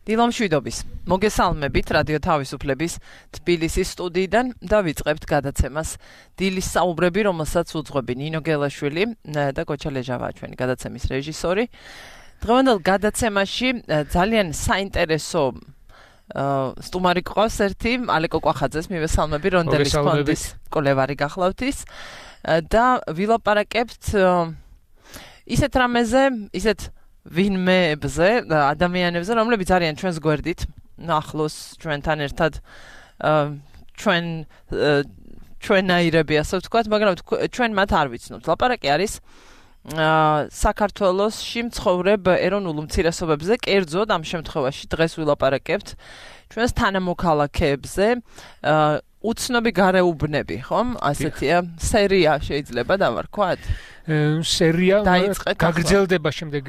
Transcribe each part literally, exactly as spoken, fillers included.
დილომშვიდობის. მოგესალმებით რადიო თავისუფლების თბილისის სტუდიიდან და ვიწყებთ გადაცემას დილის საუბრები, რომელსაც უძღვები ნინო გელაშვილი და გოჩა ლეჟავა, ჩვენი გადაცემის რეჟისორი. დღევანდელ გადაცემაში ძალიან საინტერესო სტუმარი გვყავს ერთი, ალეკო კვახაძეს მივესალმები, რონდელის ფონდის კოლევარი გახლავთ ის და ვილაპარაკებთ ისეთ რამეზე, ისეთ ვინმეებზე, ადამიანებზე, რომლებიც არიან ჩვენს გვერდით, ახლოს ჩვენთან ერთად ჩვენ ჩვენაირები, ასე ვთქვათ, მაგრამ ჩვენ მათ არ ვიცნობთ. ლაპარაკი არის საქართველოში მცხოვრებ ეროვნულ უმცირესობებზე, კერძოდ ამ შემთხვევაში დღეს ვილაპარაკებთ ჩვენს თანამოქალაქეებზე, უცნობი გარეუბნები, ხომ? ასეთია სერია შეიძლება დავარქვათ? სერია გაგრძელდება შემდეგ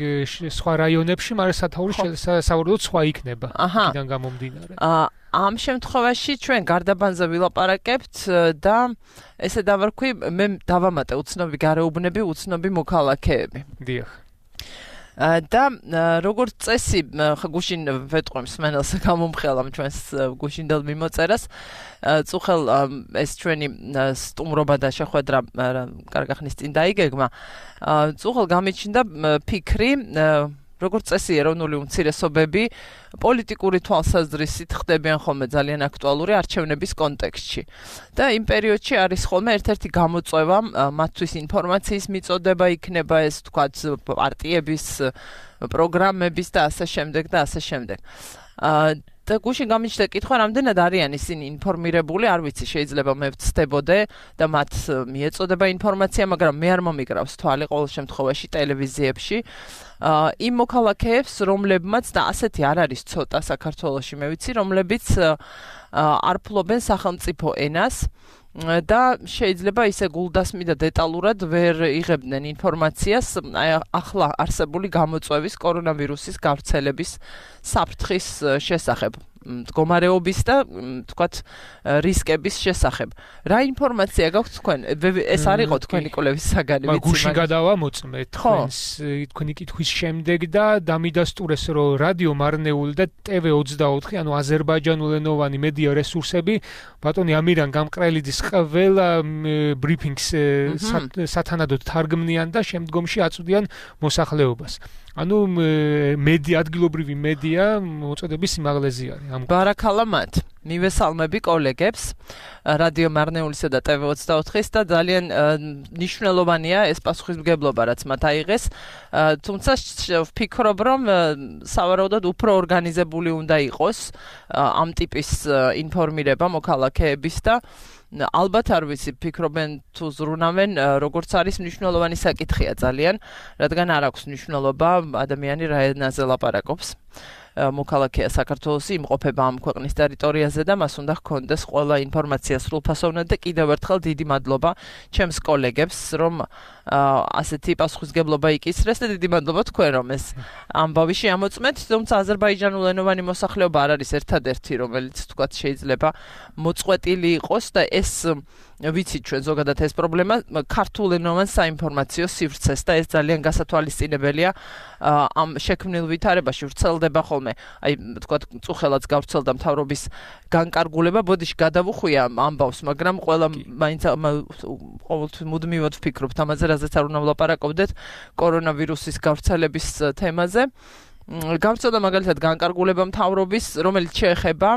სხვა რაიონებში, მაგრამ სათაური სავარაუდოდ სხვა იქნება იქიდან გამომდინარე. ამ შემთხვევაში ჩვენ გარდაბანზე ვილაპარაკებთ და ესე დავარქვი, მე დავამატე უცნობი გარეუბნები, უცნობი მოქალაქეები. დიახ. და როგორც წესი, გუშინ ვეტყვი მსმენელს გამომხელამ ჩვენს გუშინდელ მიმოწერას, წუხელ ეს ჩვენი სტუმრობა და შეხვედრა კარგი ხნის წინ დაიგეგმა. წუხელ გამიჩნდა ფიქრი, როგორც წესი ეროვნული უმცირესობები პოლიტიკური თვალსაზრისით ხდებიან ხოლმე ძალიან აქტუალური არჩევნების კონტექსტში. და იმ პერიოდში არის ხოლმე ერთ-ერთი გამოწვევა, მათთვის ინფორმაციის მიწოდება იქნება ეს თქვათ პარტიების პროგრამების და ასე შემდეგ და ასე შემდეგ. და გუშინ გამიჩნდა კითხვა, რამდენად არიან ისინი ინფორმირებული, არ ვიცი, შეიძლება მე ვცდებოდე და მათ მიეწოდება ინფორმაცია, მაგრამ მე არ მომიკრავს თვალი ყოველ შემთხვევაში ტელევიზიებში. იმ მოქალაქეებს, რომლებმაც და ასეთი არ არის ცოტა საქართველოში, მე ვიცი, რომლებიც არ ფლობენ სახელმწიფო ენას და შეიძლება ისე გულდასმი და დეტალურად ვერ იღებდნენ ინფორმაციას ახლა არსებული გამოწვევის კორონავირუსის გავრცელების საფრთხის შესახებ, მდგომარეობის და თქვათ რისკების შესახებ. რა ინფორმაცია გაქვთ თქვენ? ეს არ იყო თქვენი კვლევის საგანი, ვიცი, მაგრამ გუშინ გადავამოწმე თქვენს თქვენი კითხვის შემდეგ და დამიდასტურეს, რომ რადიო მარნეული და ტევ ოცდაოთხი, ანუ აზერბაიჯანულენოვანი მედია რესურსები ბატონი ამირან გამყრელიძის ყველა ბრიფინგს სათანადოდ თარგმნიან და შემდგომში აწვდიან მოსახლეობას. ანუ მედია, ადგილობრივი მედია მოწოდების სიმაღლეზე არის. ბარაქალა მათ. მივესალმები კოლეგებს რადიო მარნეულისა და ტევ ოცდაოთხის და ძალიან მნიშვნელოვანია ეს პასუხისმგებლობა, რაც მათ აიღეს. თუმცა ვფიქრობ, რომ სავარაუდოდ უფრო ორგანიზებული უნდა იყოს ამ ტიპის ინფორმირება მოქალაქეების და ალბათ არ ვიცი, ფიქრობენ თუ ზრუნავენ, როგორც არის მნიშვნელოვანი საკითხია ძალიან, რადგან არ აქვს მნიშვნელობა ადამიანი რა ენაზე ლაპარაკობს. მოქალაქეა საქართველოსი, იმყოფება ამ ქვეყნის ტერიტორიაზე და მას უნდა ჰქონდეს ყველა ინფორმაცია სრულფასოვნად და კიდევ ერთხელ დიდი მადლობა ჩემს კოლეგებს, რომ ასეთი პასუხისმგებლობა იკისრეს და დიდი მადლობა თქვენ, რომ ეს ამბავი შეამოწმეთ, თუმცა აზერბაიჯანულენოვანი მოსახლეობა არ არის ერთადერთი, რომელიც თქვათ შეიძლება მოწყვეტილი იყოს და ეს ვიცით ჩვენ ზოგადად ეს პრობლემა ქართულენოვან საინფორმაციო სივრცეს და ეს ძალიან გასათვალისწინებელია ამ შექმნილ ვითარებაში ვრცელდება ხოლმე. აი თქვათ წუხელაც გავრცელდა მთავრობის განკარგულება, ბოდიში გადავუხვია ამბავს, მაგრამ ყველა მაინც ყოველთვის მუდმივად ვფიქრობთ ამაზე, რაზეც არ უნდა ვლაპარაკობდეთ კორონავირუსის გავრცელების თემაზე. გავრცელდა მაგალითად განკარგულება მთავრობის, რომელიც შეეხება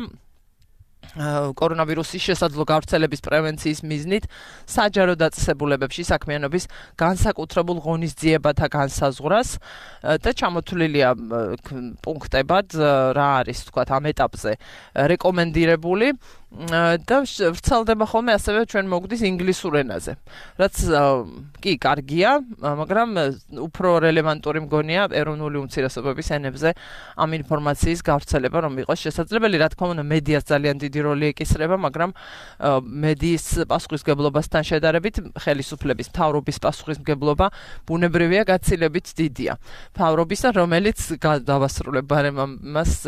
კორონავირუსის შესაძლო გავრცელების პრევენციის მიზნით საჯარო დაწესებულებებში საქმიანობის განსაკუთრებულ ღონისძიებათა განსაზღვრას და ჩამოთვლილია პუნქტებად რა არის თქვათ ამ ეტაპზე რეკომენდირებული და ვრცელდება ხოლმე ასევე ჩვენ მოგვდის ინგლისურ ენაზე, რაც კი კარგია, მაგრამ უფრო რელევანტური მგონია ეროვნული უმცირესობების ენებზე ამ ინფორმაციის გავრცელება, რომ იყოს შესაძლებელი. რა თქმა უნდა, მედიას ძალიან დიდი როლი ეკისრება, მაგრამ მედიის პასუხისმგებლობასთან შედარებით ხელისუფლების მთავრობის პასუხისმგებლობა ბუნებრივია გაცილებით დიდია. მთავრობისა, რომელიც დავასრულებ ბარემ ამას,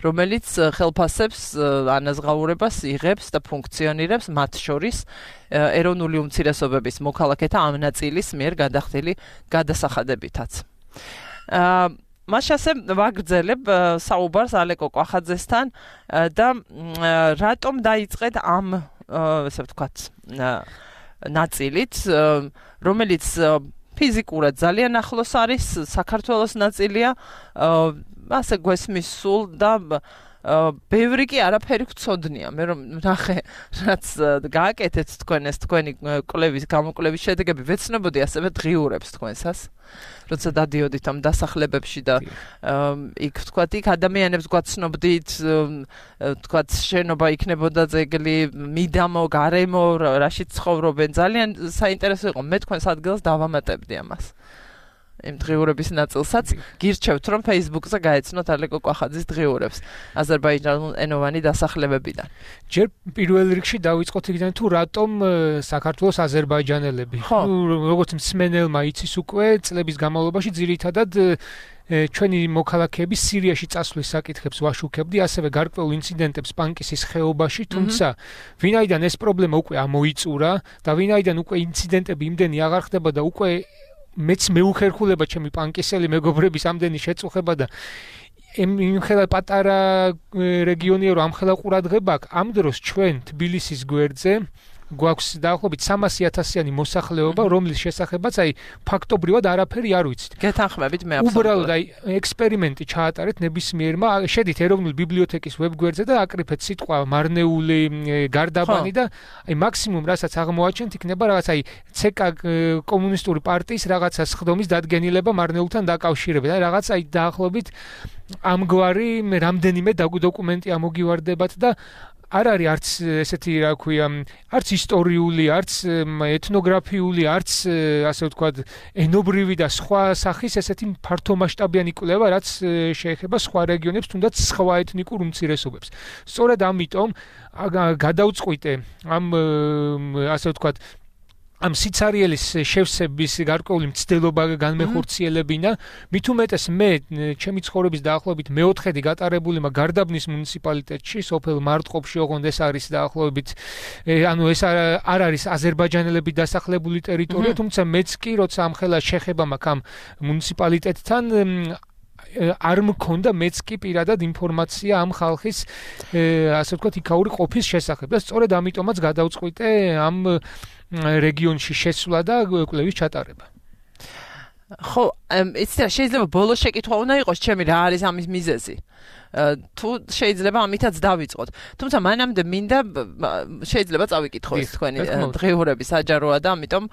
რომელიც ხელფასებს ანაზღაურებას იღებს და ფუნქციონირებს მათ შორის ეროვნული უმცირესობების მოქალაქეთა ამ ნაწილის მიერ გადახდილი გადასახადებითაც. მას ასე ვაგრძელებ საუბარს ალეკო კვახაძესთან და რატომ დაიწყეთ ამ ესე ვთქვათ ნაწილით, რომელიც ფიზიკურად ძალიან ახლოს არის, საქართველოს ნაწილია, ასე გვესმის სულ და ბევრი კი არაფერი გწოდნია. მე რომ ნახე, რაც გააკეთეთ თქვენ ეს თქვენი კვლევის გამოკვლევის შედეგები, ვეცნობოდი ასევე დღიურებს თქვენსას. როცა დადიოდით ამ დასახლებებში და იქ ვთქვათ, იქ ადამიანებს გვაცნობდით, ვთქვათ, შენობა იქნებოდა ძეგლი, მიდამო, გარემო, რაშიც ცხოვრობენ. ძალიან საინტერესო იყო. მე თქვენს ადგილას დავამატებდი ამას. იმ დღიურების ნაწილსაც გირჩევთ, რომ Facebook-ზე გაეცნოთ ალეკო კვახაძის დღიურებს აზერბაიჯანულ ენოვანი დასახლებებიდან. ჯერ პირველ რიგში დავიწყოთ იქიდან თუ რატომ საქართველოს აზერბაიჯანელები. ნუ როგორც მსმენელმა იცის უკვე წლების განმავლობაში ძირითადად ჩვენი მოქალაქეები სირიაში წასვლის საკითხებს ვაშუქებდი, ასევე გარკვეულ ინციდენტებს პანკისის ხეობაში, თუმცა ვინაიდან ეს პრობლემა უკვე ამოიწურა და ვინაიდან უკვე ინციდენტები იმდენი აღარ ხდება და უკვე მეც მეუხერხულება ჩემი პანკისელი მეგობრების ამდენი შეწუხება და იმხელა პატარა რეგიონია რომ ამხელა ყურადღება აქვს, ამ დროს ჩვენ თბილისის გვერდზე გვაქვს დაახლოებით სამასი ათასიანი მოსახლეობა, რომლის შესახებაც აი ფაქტობრივად არაფერი არ ვიცით. გეთანხმებით მე აბსოლუტურად. უბრალოდ აი ექსპერიმენტი ჩაატარეთ ნებისმიერმა, შედით ეროვნული ბიბლიოთეკის ვებგვერდზე და აკრიფეთ სიტყვა მარნეული გარდაბანი და აი მაქსიმუმ რასაც აღმოაჩენთ იქნება რაღაც აი ცეკა კომუნისტური პარტიის რაღაცა სხდომის დადგენილება მარნეულთან დაკავშირებით. აი რაღაც აი დაახლოებით ამგვარი რამდენიმე დოკუმენტი ამოგივარდებათ და არ არის არც ესეთი რა ქვია, არც ისტორიული, არც ეთნოგრაფიული, არც ასე ვთქვათ, ენობრივი და სხვა სახის ესეთი ფართომასშტაბიანი კვლევა, რაც შეეხება სხვა რეგიონებს, თუნდაც სხვა ეთნიკურ უმცირესობებს. სწორედ ამიტომ გადავწყვიტე ამ ასე ვთქვათ ამ სიცარიელის შევსების გარკვეული მცდელობა განმეხორციელებინა, მით უმეტეს მე ჩემი ცხოვრების დაახლოებით მეოთხედი გატარებული მაქვს გარდაბნის მუნიციპალიტეტში, სოფელ მარტყოფში, ოღონდ ეს არის დაახლოებით, ანუ ეს არ არის აზერბაიჯანელები დასახლებული ტერიტორია, თუმცა მეც კი როცა ამხელა შეხება მაქვს ამ მუნიციპალიტეტთან არ მქონდა მეც კი პირადად ინფორმაცია ამ ხალხის ასე ვთქვათ იქაური ყოფის შესახებ და სწორედ ამიტომაც გადავწყვიტე ამ რეგიონში შესვლა და კვლევის ჩატარება. ხო, იცით რა, შეიძლება ბოლოს შეკითხვა უნდა იყოს ჩემი რა არის ამის მიზეზი. თუ შეიძლება ამითაც დავიწყოთ. თუმცა მანამდე მინდა შეიძლება წავიკითხო ეს თქვენი დღიურები საჯაროა და ამიტომ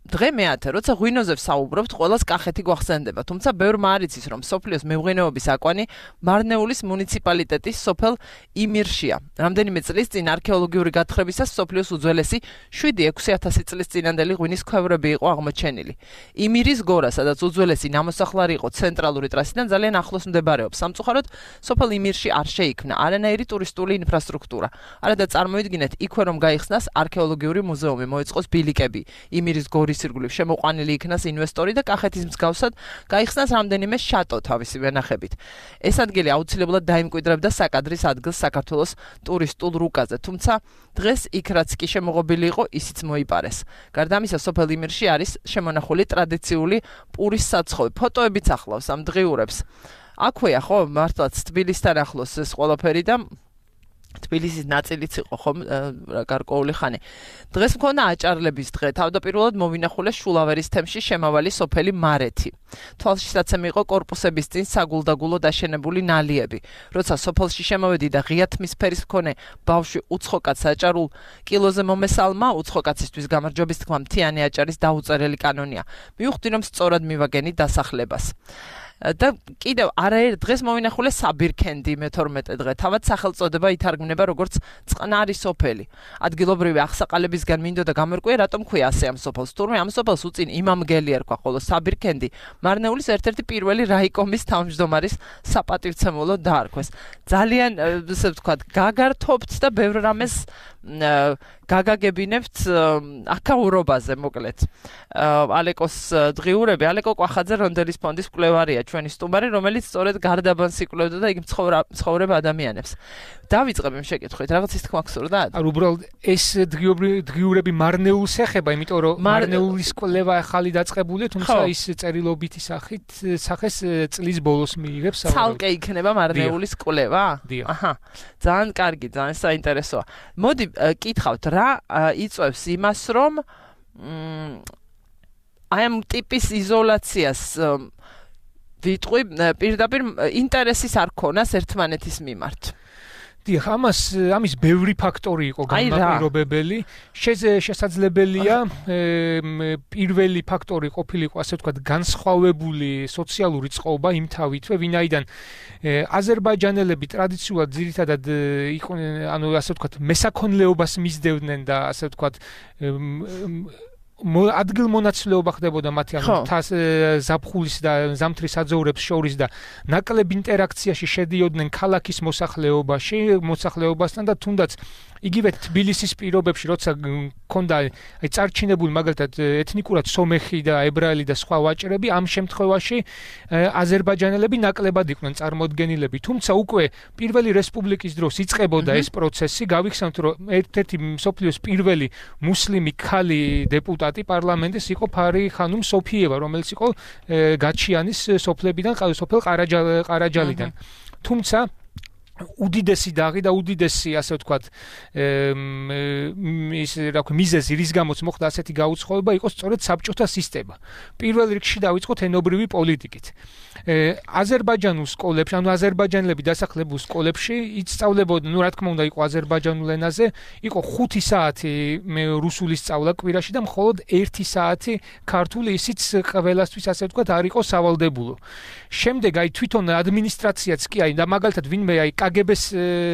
დღე მეათე, როცა ღვინოზე ვსაუბრობთ, ყველას კახეთი გვახსენდება, თუმცა ბევრმა არ იცის, რომ სოფლიოს მეღვინეობის აკვანი მარნეულის მუნიციპალიტეტის სოფელ იმირშია. რამდენიმე წლის წინ არქეოლოგიური გათხრებისას სოფლიოს უძველესი შვიდი ექვსი ათასი წლის წინანდელი ღვინის ქვევრები იყო აღმოჩენილი. იმირის გორა, სადაც უძველესი ნამოსახლარი იყო ცენტრალური ტრასიდან ძალიან ახლოს მდებარეობს. სამწუხაროდ, სოფელ იმირში არ შეიქმნა არანაირი ტურისტული ინფრასტრუქტურა. არადა წარმოიდგინეთ, იქვე რომ გაიხსნას არქეოლოგიური მუზეუმი, მოეწყოს ბილიკები, იმირის გორის ირგვლივ შემოყვანილი იქნას ინვესტორი და კახეთის მსგავსად გაიხსნას რამდენიმე შატო თავისი ვენახებით. ეს ადგილი აუცილებლად დაიმკვიდრებდა საკადრის ადგილს საქართველოს ტურისტულ რუკაზე, თუმცა დღეს იქ რაც კი შემოღობილი იყო, ისიც მოიპარეს. გარდა ამისა, სოფელ იმირში არის შემონახული ტრადიციული პურის საცხოვი. ფოტოებიც ახლავს ამ დღიურებს. აქვეა ხო, მართლაც თბილისთან ახლოს ეს ყველაფერი და თბილისის ნაწილიც იყო ხომ გარკვეული ხანი. დღეს მქონდა აჭარლების დღე. თავდაპირველად მოვინახულეს შულავერის თემში შემავალი სოფელი მარეთი. თვალშისაცემი იყო კორპუსების წინ საგულდაგულო დაშენებული ნალიები. როცა სოფელში შემოვედი და ღია თმის ფერის მქონე ბავშვი უცხოკაც აჭარულ კილოზე მომესალმა, უცხოკაცისთვის გამარჯვების თქმა მთიანი აჭარის დაუწერელი კანონია. მივხვდი, რომ სწორად მივაგენი დასახლებას. და კიდევ არაერთ დღეს მოვინახულე საბირქენდი მეთორმეტე დღე. თავად სახელწოდება ითარგმნება როგორც წყნარი სოფელი. ადგილობრივი აღსაყალებისგან მინდოდა გამორკვია, რატომ ქვია ასე ამ სოფელს. თურმე ამ სოფელს უწინ იმამგელი ერქვა, ხოლო საბირქენდი მარნეულის ერთ-ერთი პირველი რაიკომის თავმჯდომარის გაგაგებინებთ აკაურობაზე მოკლედ. ალეკოს დღიურები, ალეკო კვახაძე რონდელის ფონდის მკვლევარია ჩვენი სტუმარი, რომელიც სწორედ გარდაბანს იკვლევდა და იგი მცხოვრებ ადამიანებს. დავიწყებ იმ შეკითხვით, რაღაც ის თქმა გსურდა? არ უბრალოდ ეს დღიურები მარნეულს ეხება, იმიტომ რომ მარნეულის კვლევა ახალი დაწყებულია, თუმცა ის წერილობითი სახით სახეს წლის ბოლოს მიიღებს. ცალკე იქნება მარნეულის კვლევა? აჰა. ძალიან კარგი, ძალიან საინტერესოა. მოდი კითხავთ, რა იწვევს იმას, რომ აი ამ ტიპის იზოლაციას ვიტყვი პირდაპირ ინტერესის არ ქონას ერთმანეთის მიმართ. დიახ, ამას ამის ბევრი ფაქტორი იყო განმაპირობებელი. შესაძლებელია პირველი ფაქტორი ყოფილიყო, ასე ვთქვათ, განსხვავებული სოციალური წყობა იმ თავითვე, ვინაიდან აზერბაიჯანელები ტრადიციულად ძირითადად იყვნენ, ანუ ასე ვთქვათ, მესაქონლეობას მისდევდნენ და ასე ვთქვათ, ადგილმონაცვლეობა ხდებოდა მათი ანუ ზაფხულის და ზამთრის აძოვრებს შორის და ნაკლებ ინტერაქციაში შედიოდნენ ქალაქის მოსახლეობაში, მოსახლეობასთან და თუნდაც იგივე თბილისის პირობებში, როცა ქონდა აი წარჩინებული მაგალითად ეთნიკურად სომეხი და ებრაელი და სხვა ვაჭრები, ამ შემთხვევაში აზერბაიჯანელები ნაკლებად იყვნენ წარმოდგენილები. თუმცა უკვე პირველი რესპუბლიკის დროს იწყებოდა ეს პროცესი, გავიხსენოთ, რომ ერთ-ერთი მსოფლიოს პირველი მუსლიმი ქალი დეპუტატი პარლამენტის იყო ფარი ხანუმ სოფიევა, რომელიც იყო გაჩიანის სოფლებიდან, სოფელ ყარაჯალიდან. თუმცა უდიდესი დაღი და უდიდესი ასე ვთქვათ ის რა ქვია მიზეზი რის გამოც მოხდა ასეთი გაუცხოება იყო სწორედ საბჭოთა სისტემა. პირველ რიგში დავიწყოთ ენობრივი პოლიტიკით. აზერბაიჯანულ სკოლებში, ანუ აზერბაიჯანელები დასახლებულ სკოლებში ისწავლებოდნენ, ну, რა თქმა უნდა, იყო აზერბაიჯანულ ენაზე, იყო ხუთი საათი რუსული სწავლა კვირაში და მხოლოდ ერთი საათი ქართული, ისიც ყველასთვის ასე ვთქვათ არ იყო სავალდებულო. შემდეგ აი თვითონ ადმინისტრაციაც კი აი და მაგალითად ვინმე აი კაგებეს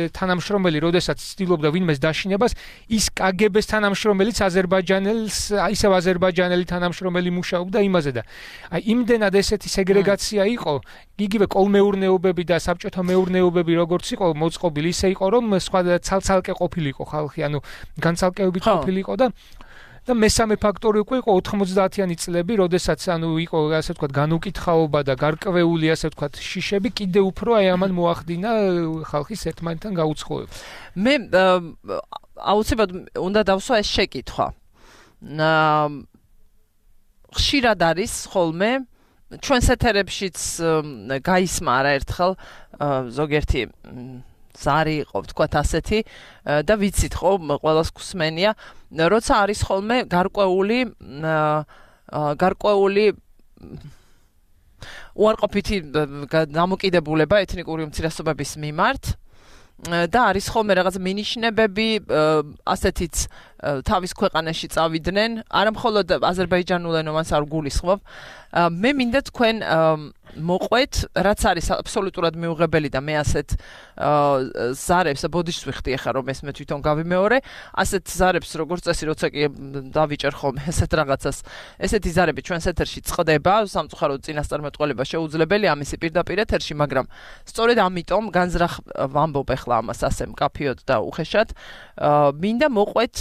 თანამშრომელი, როდესაც ცდილობდა ვინმეს დაშინებას, ის კაგებეს თანამშრომელიც აზერბაიჯანელს, ისევ აზერბაიჯანელი თანამშრომელი მუშაობდა იმაზე და აი იმდენად ესეთი სეგრეგაცია იყო, იგივე კოლმეურნეობები და საბჭოთა მეურნეობები როგორც იყო მოწყობილი, ისე იყო რომ სხვა ცალ-ცალკე ყოფილიყო ხალხი, ანუ განცალკევებით ყოფილიყო და და მესამე ფაქტორი უკვე იყო ოთხმოცდაათიანი წლები, როდესაც ანუ იყო ასე ვთქვათ განუკითხაობა და გარკვეული ასე ვთქვათ შიშები კიდე უფრო აი ამან მოახდინა ხალხის ერთმანეთთან გაუცხოება. მე აუცილებლად უნდა დავსვა ეს შეკითხვა. ხშირად არის ხოლმე ჩვენს ეთერებშიც გაისმა არაერთხელ ზოგიერთი ზარი იყო, ვთქვათ ასეთი და ვიცით ხო, ყველას გსმენია, როცა არის ხოლმე გარკვეული გარკვეული უარყოფითი დამოკიდებულება ეთნიკური უმცირესობების მიმართ და არის ხოლმე რაღაც მინიშნებები, ასეთიც თავის ქვეყანაში წავიდნენ, არა მხოლოდ აზერბაიჯანულენოვანს არ გულისხმობ. მე მინდა თქვენ მოყვეთ, რაც არის აბსოლუტურად მიუღებელი და მე ასეთ ზარებს ბოდიშს ვიხდი ახლა რომ ეს მე თვითონ გავიმეორე, ასეთ ზარებს როგორც წესი, როცა კი დავიჭერ ხოლმე ესეთ რაღაცას, ესეთი ზარები ჩვენს ეთერში წყდება, სამწუხაროდ წინასწარმეტყველება შეუძლებელია ამისი პირდაპირ ეთერში, მაგრამ სწორედ ამიტომ განზრახ ვამბობ ახლა ამას ასე მკაფიოდ და უხეშად, მინდა მოყვეთ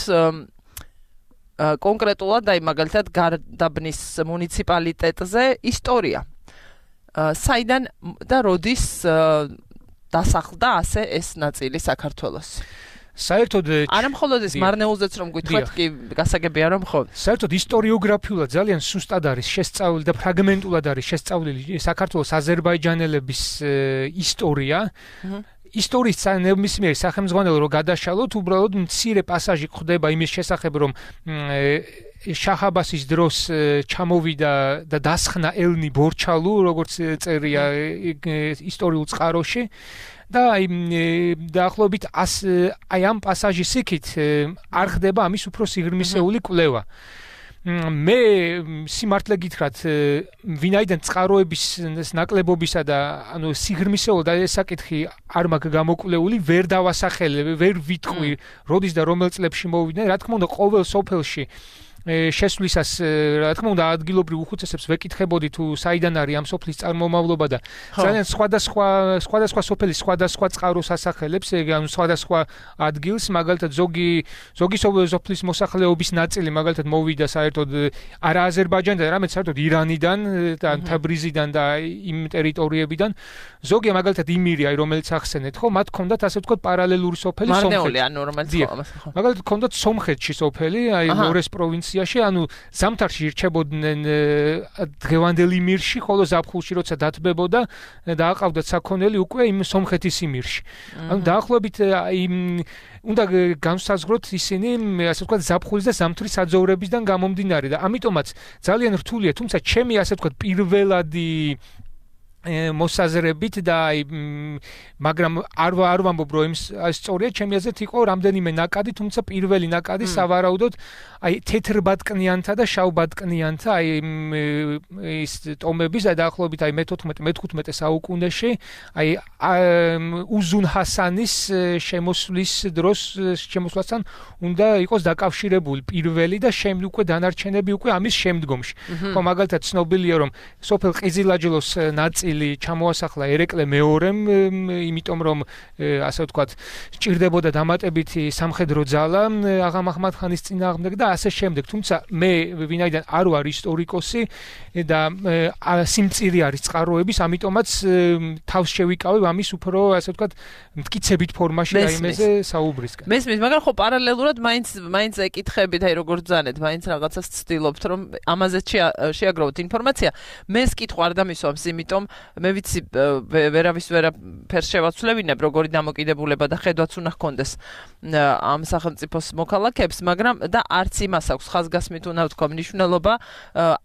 კონკრეტულად აი მაგალითად გარდაბნის მუნიციპალიტეტზე ისტორია. საიდან და როდის დასახლდა ასე ეს ნაწილი საქართველოს? საერთოდ არა მხოლოდ ეს მარნეულზეც რომ გითხრათ კი გასაგებია რომ ხო. საერთოდ ისტორიოგრაფიულად ძალიან სუსტად არის შესწავლილი და ფრაგმენტულად არის შესწავლილი საქართველოს აზერბაიჯანელების ისტორია. ისტორიის ნებისმიერი სახელმძღვანელო რო გადაშალოთ, უბრალოდ მცირე პასაჟი ხდება იმის შესახებ, რომ შაჰ-აბასის დროს ჩამოვიდა და დასხნა ელნი ბორჩალუ, როგორც წერია ისტორიულ წყაროში და აი დაახლოებით აი ამ პასაჟის იქით არ ხდება ამის უფრო სიღრმისეული კვლევა. მე სიმართლე გითხრათ, ვინაიდან წყაროების ნაკლებობისა და ანუ სიღრმისეულ და ეს საკითხი არ მაქვს გამოკვლეული, ვერ დავასახელებ, ვერ ვიტყვი, როდის და რომელ წლებში მოვიდნენ. რა თქმა უნდა, ყოველ სოფელში შესვლისას რა თქმა უნდა ადგილობრივ უხუცესებს ვეკითხებოდი თუ საიდან არის ამ სოფლის წარმომავლობა და ძალიან სხვადასხვა სხვადასხვა სოფლის სხვადასხვა წყაროს ასახელებს, ანუ სხვადასხვა ადგილს, მაგალითად ზოგი ზოგი სოფლის მოსახლეობის ნაწილი მაგალითად მოვიდა საერთოდ არა აზერბაიჯანიდან, არამედ საერთოდ ირანიდან და თაბრიზიდან და იმ ტერიტორიებიდან. ზოგი მაგალითად იმირია, რომელიც ახსენეთ, ხო, მათ ჰქონდათ ასე ვთქვათ პარალელური სოფელი სომხეთში. მარნეული, ანუ რომელიც ხო. მაგალითად ჰქონდათ სომხეთში სოფელი, აი ლორეს პროვინციაში, ანუ ზამთარში ირჩებოდნენ დღევანდელ იმირში, ხოლო ზაფხულში როცა დათბებოდა და აყავდათ საქონელი უკვე იმ სომხეთის იმირში. ანუ დაახლოებით იმ უნდა განსაზღვროთ ისინი, ასე ვთქვათ, ზაფხულის და ზამთრის საძოვრებისგან გამომდინარე და ამიტომაც ძალიან რთულია, თუმცა ჩემი ასე ვთქვათ პირველადი მოსაზრებით და მაგრამ არ არ ვამბობ რომ სწორია, ჩემი აზრით იყო რამდენიმე ნაკადი, თუმცა პირველი ნაკადი სავარაუდოდ აი თეთრბატკნიანთა და შავბატკნიანთა აი ის ტომების და დაახლოებით აი მეთოთხმეტე მეთხვითხმეტე საუკუნეში აი უზუნ ჰასანის შემოსვლის დროს შემოსვლასთან უნდა იყოს დაკავშირებული პირველი და შემდეგ უკვე დანარჩენები უკვე ამის შემდგომში. ხო მაგალითად ცნობილია რომ სოფელ ყიზილაჯლოს ნაწილი ჩამოასახლა ერეკლე მეორემ, იმიტომ რომ ასე ვთქვათ, სჭირდებოდა დამატებითი სამხედრო ძალა აღა მაჰმად ხანის წინააღმდეგ და ასე შემდეგ. თუმცა მე ვინაიდან არ ვარ ისტორიკოსი და სიმწირი არის წყაროების, ამიტომაც თავს შევიკავებ ამის უფრო ასე ვთქვათ, მტკიცებით ფორმაში და იმაზე საუბრისგან. მესმის, მაგრამ ხო პარალელურად მაინც მაინც ეკითხებით, აი როგორ ძანეთ, მაინც რაღაცას ცდილობთ, რომ ამაზე შეაგროვოთ ინფორმაცია. მეს კითხვა არ დამისვამს, იმიტომ მე ვიცი ვერავის ვერაფერს შევაცვლებინებ, როგორი დამოკიდებულება და ხედვაც უნდა ჰქონდეს ამ სახელმწიფოს მოქალაქეებს, მაგრამ და არც იმას აქვს ხაზგასმით უნდა ვთქვა მნიშვნელობა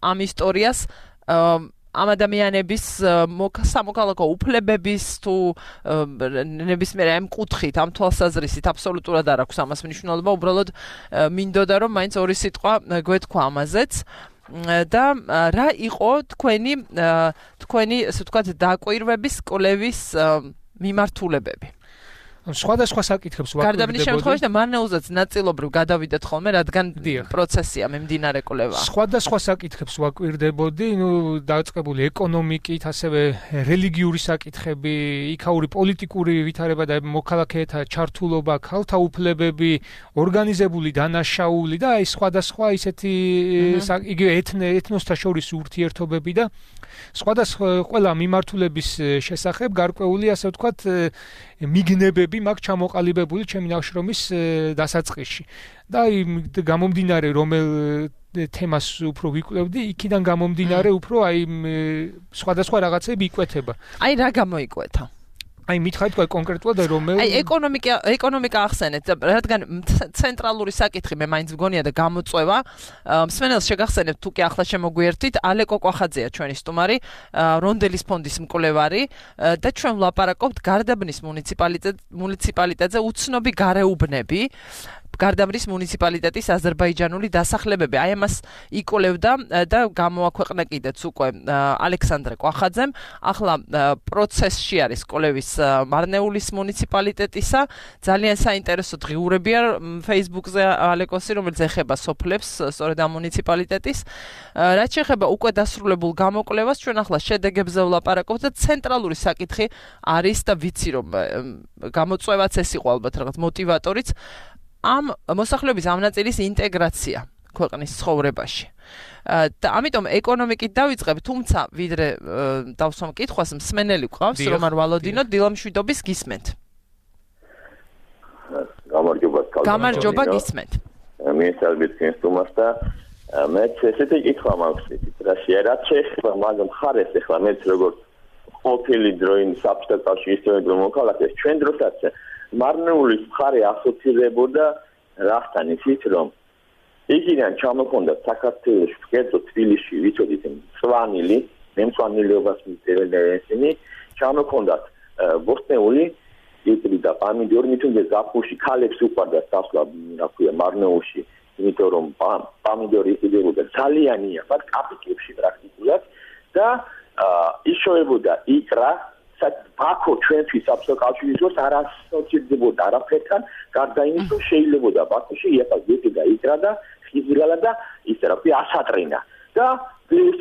ამ ისტორიას ამ ადამიანების სამოქალაქო უფლებების თუ ნებისმიერ ამ კუთხით, ამ თვალსაზრისით აბსოლუტურად არ აქვს ამას მნიშვნელობა, უბრალოდ მინდოდა რომ მაინც ორი სიტყვა გვეთქვა ამაზეც. და რა იყო თქვენი თქვენი ასე ვთქვათ დაკვირვების კვლევის მიმართულებები? სხვადასხვა საკითხებს ვაკლებდებოდი. გარდაბნის შემთხვევაში და მარნეულზეც ნაწილობრივ გადავიდეთ ხოლმე, რადგან პროცესია მიმდინარე კვლევა. სხვადასხვა საკითხებს ვაკლებდებოდი, ნუ დაწყებული ეკონომიკით, ასევე რელიგიური საკითხები, იქაური პოლიტიკური ვითარება და მოქალაქეთა ჩართულობა, ქალთა უფლებები, ორგანიზებული დანაშაული და აი სხვადასხვა ისეთი იგივე ეთნოსთა შორის ურთიერთობები და სხვადასხვა ყველა მიმართულების შესახებ გარკვეული ასე ვთქვათ მიგნებები მაქვს ჩამოყალიბებული ჩემი ნაშრომის დასაწყისში. და აი გამომდინარე რომელ თემას უფრო ვიკვლევდი, იქიდან გამომდინარე უფრო აი სხვადასხვა რაღაცები იკვეთება. აი რა გამოიკვეთა? აი მითხარით კონკრეტულად რომელ აი ეკონომიკა ეკონომიკა ახსენეთ, რადგან ცენტრალური საკითხი მე მაინც მგონია და გამოწვევა. მსმენელს შეგახსენებთ თუ კი ახლა შემოგვიერთით, ალეკო კვახაძეა ჩვენი სტუმარი, რონდელის ფონდის მკვლევარი და ჩვენ ვლაპარაკობთ გარდაბნის მუნიციპალიტეტზე უცნობი გარეუბნები. გარდაბნის მუნიციპალიტეტის აზერბაიჯანული დასახლებები. აი ამას იკვლევდა და გამოაქვეყნა კიდეც უკვე ალექსანდრე კვახაძემ. ახლა პროცესში არის კვლევის მარნეულის მუნიციპალიტეტისა. ძალიან საინტერესო დღიურებია Facebook-ზე ალეკოსი, რომელიც ეხება სოფლებს, სწორედ ამ მუნიციპალიტეტის. რაც შეეხება უკვე დასრულებულ გამოკვლევას, ჩვენ ახლა შედეგებზე ვლაპარაკობთ და ცენტრალური საკითხი არის და ვიცი რომ გამოწვევაც ეს იყო ალბათ რაღაც მოტივატორიც. ამ მოსახლეობის ამ ნაწილის ინტეგრაცია ქვეყნის ცხოვრებაში. და ამიტომ ეკონომიკით დავიწყებ, თუმცა ვიდრე დავსვამ კითხვას, მსმენელი გვყავს, რომან ვალოდინო, დილამშვიდობის გისმენთ. გამარჯობა, გამარჯობა გისმენთ. მიესალმებით თქვენ სტუმარს და მე ესეთი კითხვა მაქვს, რა შეიძლება შეეხება მაგ მხარეს, ახლა მეც როგორც ყოფილი დროინ საბჭოთა კავშირის ისტორიულ მოქალაქეს, ჩვენ დროსაც მარნეულის მხარე ასოცირებოდა რასთან ისიც რომ იქიდან ჩამოხონდა საქართველოს კერძო თბილისში ვიცოდით მწვანილი, მემწვანილეობას მისდევენ ესენი, ჩამოხონდათ ბოსტნეული, იტრი და პამიდორი, მithunde ზაფხულში ქალებს უყვარდათ დასვლა, რა ქვია, მარნეულში, იმიტომ რომ პამიდორი იყიდებოდა ძალიანია, բայց კაპიკებში პრაქტიკულად და იშოვებოდა იკრა ბაქო ჩვენთვის საბჭოთა კავშირის დროს არ ასოცირდებოდა არაფერთან, გარდა იმის რომ შეიძლებოდა ბაქოში იაფას გეტი და იკრა და ფიზიკალად და ისე რა ვთქვი ასატრინა და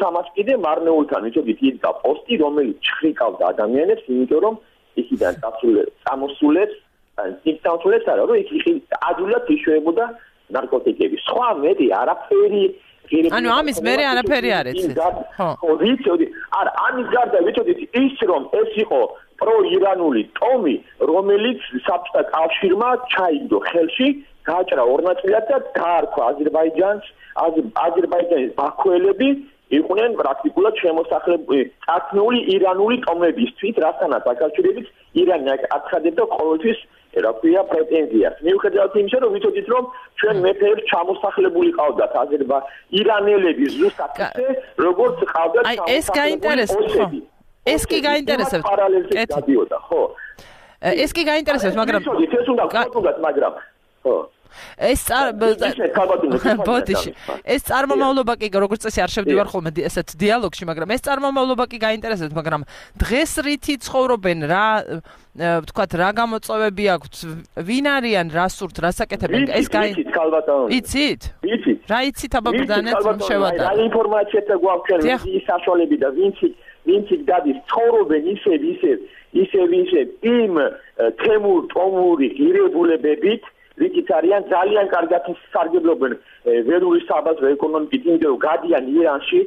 სამას კიდე მარნეულთან ვიცოდით იდგა პოსტი რომელიც ჩხრიკავდა ადამიანებს იმიტომ რომ იქიდან წამოსულებს სիմპტომებს არა რომ იქ ადვილად იშვებოდა ნარკოტიკები სხვა მეტი არაფერი ანუ ამის მერე არაფერი არ იცით ხო ვიცოდი არა ამის გარდა ვიცოდით ის რომ ეს იყო პროირანული ტომი რომელიც საბჭოთა კავშირმა ჩაიგდო ხელში გააჭრა ორ ნაწილად და დაარქვა აზერბაიჯანს აზერბაიჯანის ბაქოელები იყვნენ პრაქტიკულად შემოსახლებული წარქმეული ირანული ტომებისთვის რასთანაც აკავშირებით ირანი აცხადებდა ყოველთვის რა ქვია პრეტენზიას მიუხედავად იმისა რომ ვიცოდით რომ ჩვენ მეფეებს ჩამოსახლებული ყავდათ აზერბა ირანელები ზუსტად ისე როგორც ყავდათ აი ეს გაინტერესებს ხო ეს კი გაინტერესებს გადიოდა ხო ეს კი გაინტერესებს მაგრამ ვიცოდით ეს უნდა გქონდათ მაგრამ ხო ეს ბოდიში ეს წარმომავლობა კი როგორც წესი არ შევდივარ ხოლმე ესეთ დიალოგში მაგრამ ეს წარმომავლობა კი გაინტერესებს მაგრამ დღეს რითი ცხოვრობენ რა ვთქვათ რა გამოწვევები აქვთ ვინ არიან რა სურთ რა საკეთებენ ეს იცით ქალბატონი იცით იცით რა იცით აბა ბრძანეთ შევატარ რა ინფორმაციათა გვაქვს ის საშუალები და ვინც ვინც გადის ცხოვრობენ ისე ისე ისე ისე იმ თემურ ტომური ღირებულებებით რითიც არიან ძალიან კარგად სარგებლობენ ველური საბაზრო ეკონომიკით იმიტომ რომ გადიან ირანში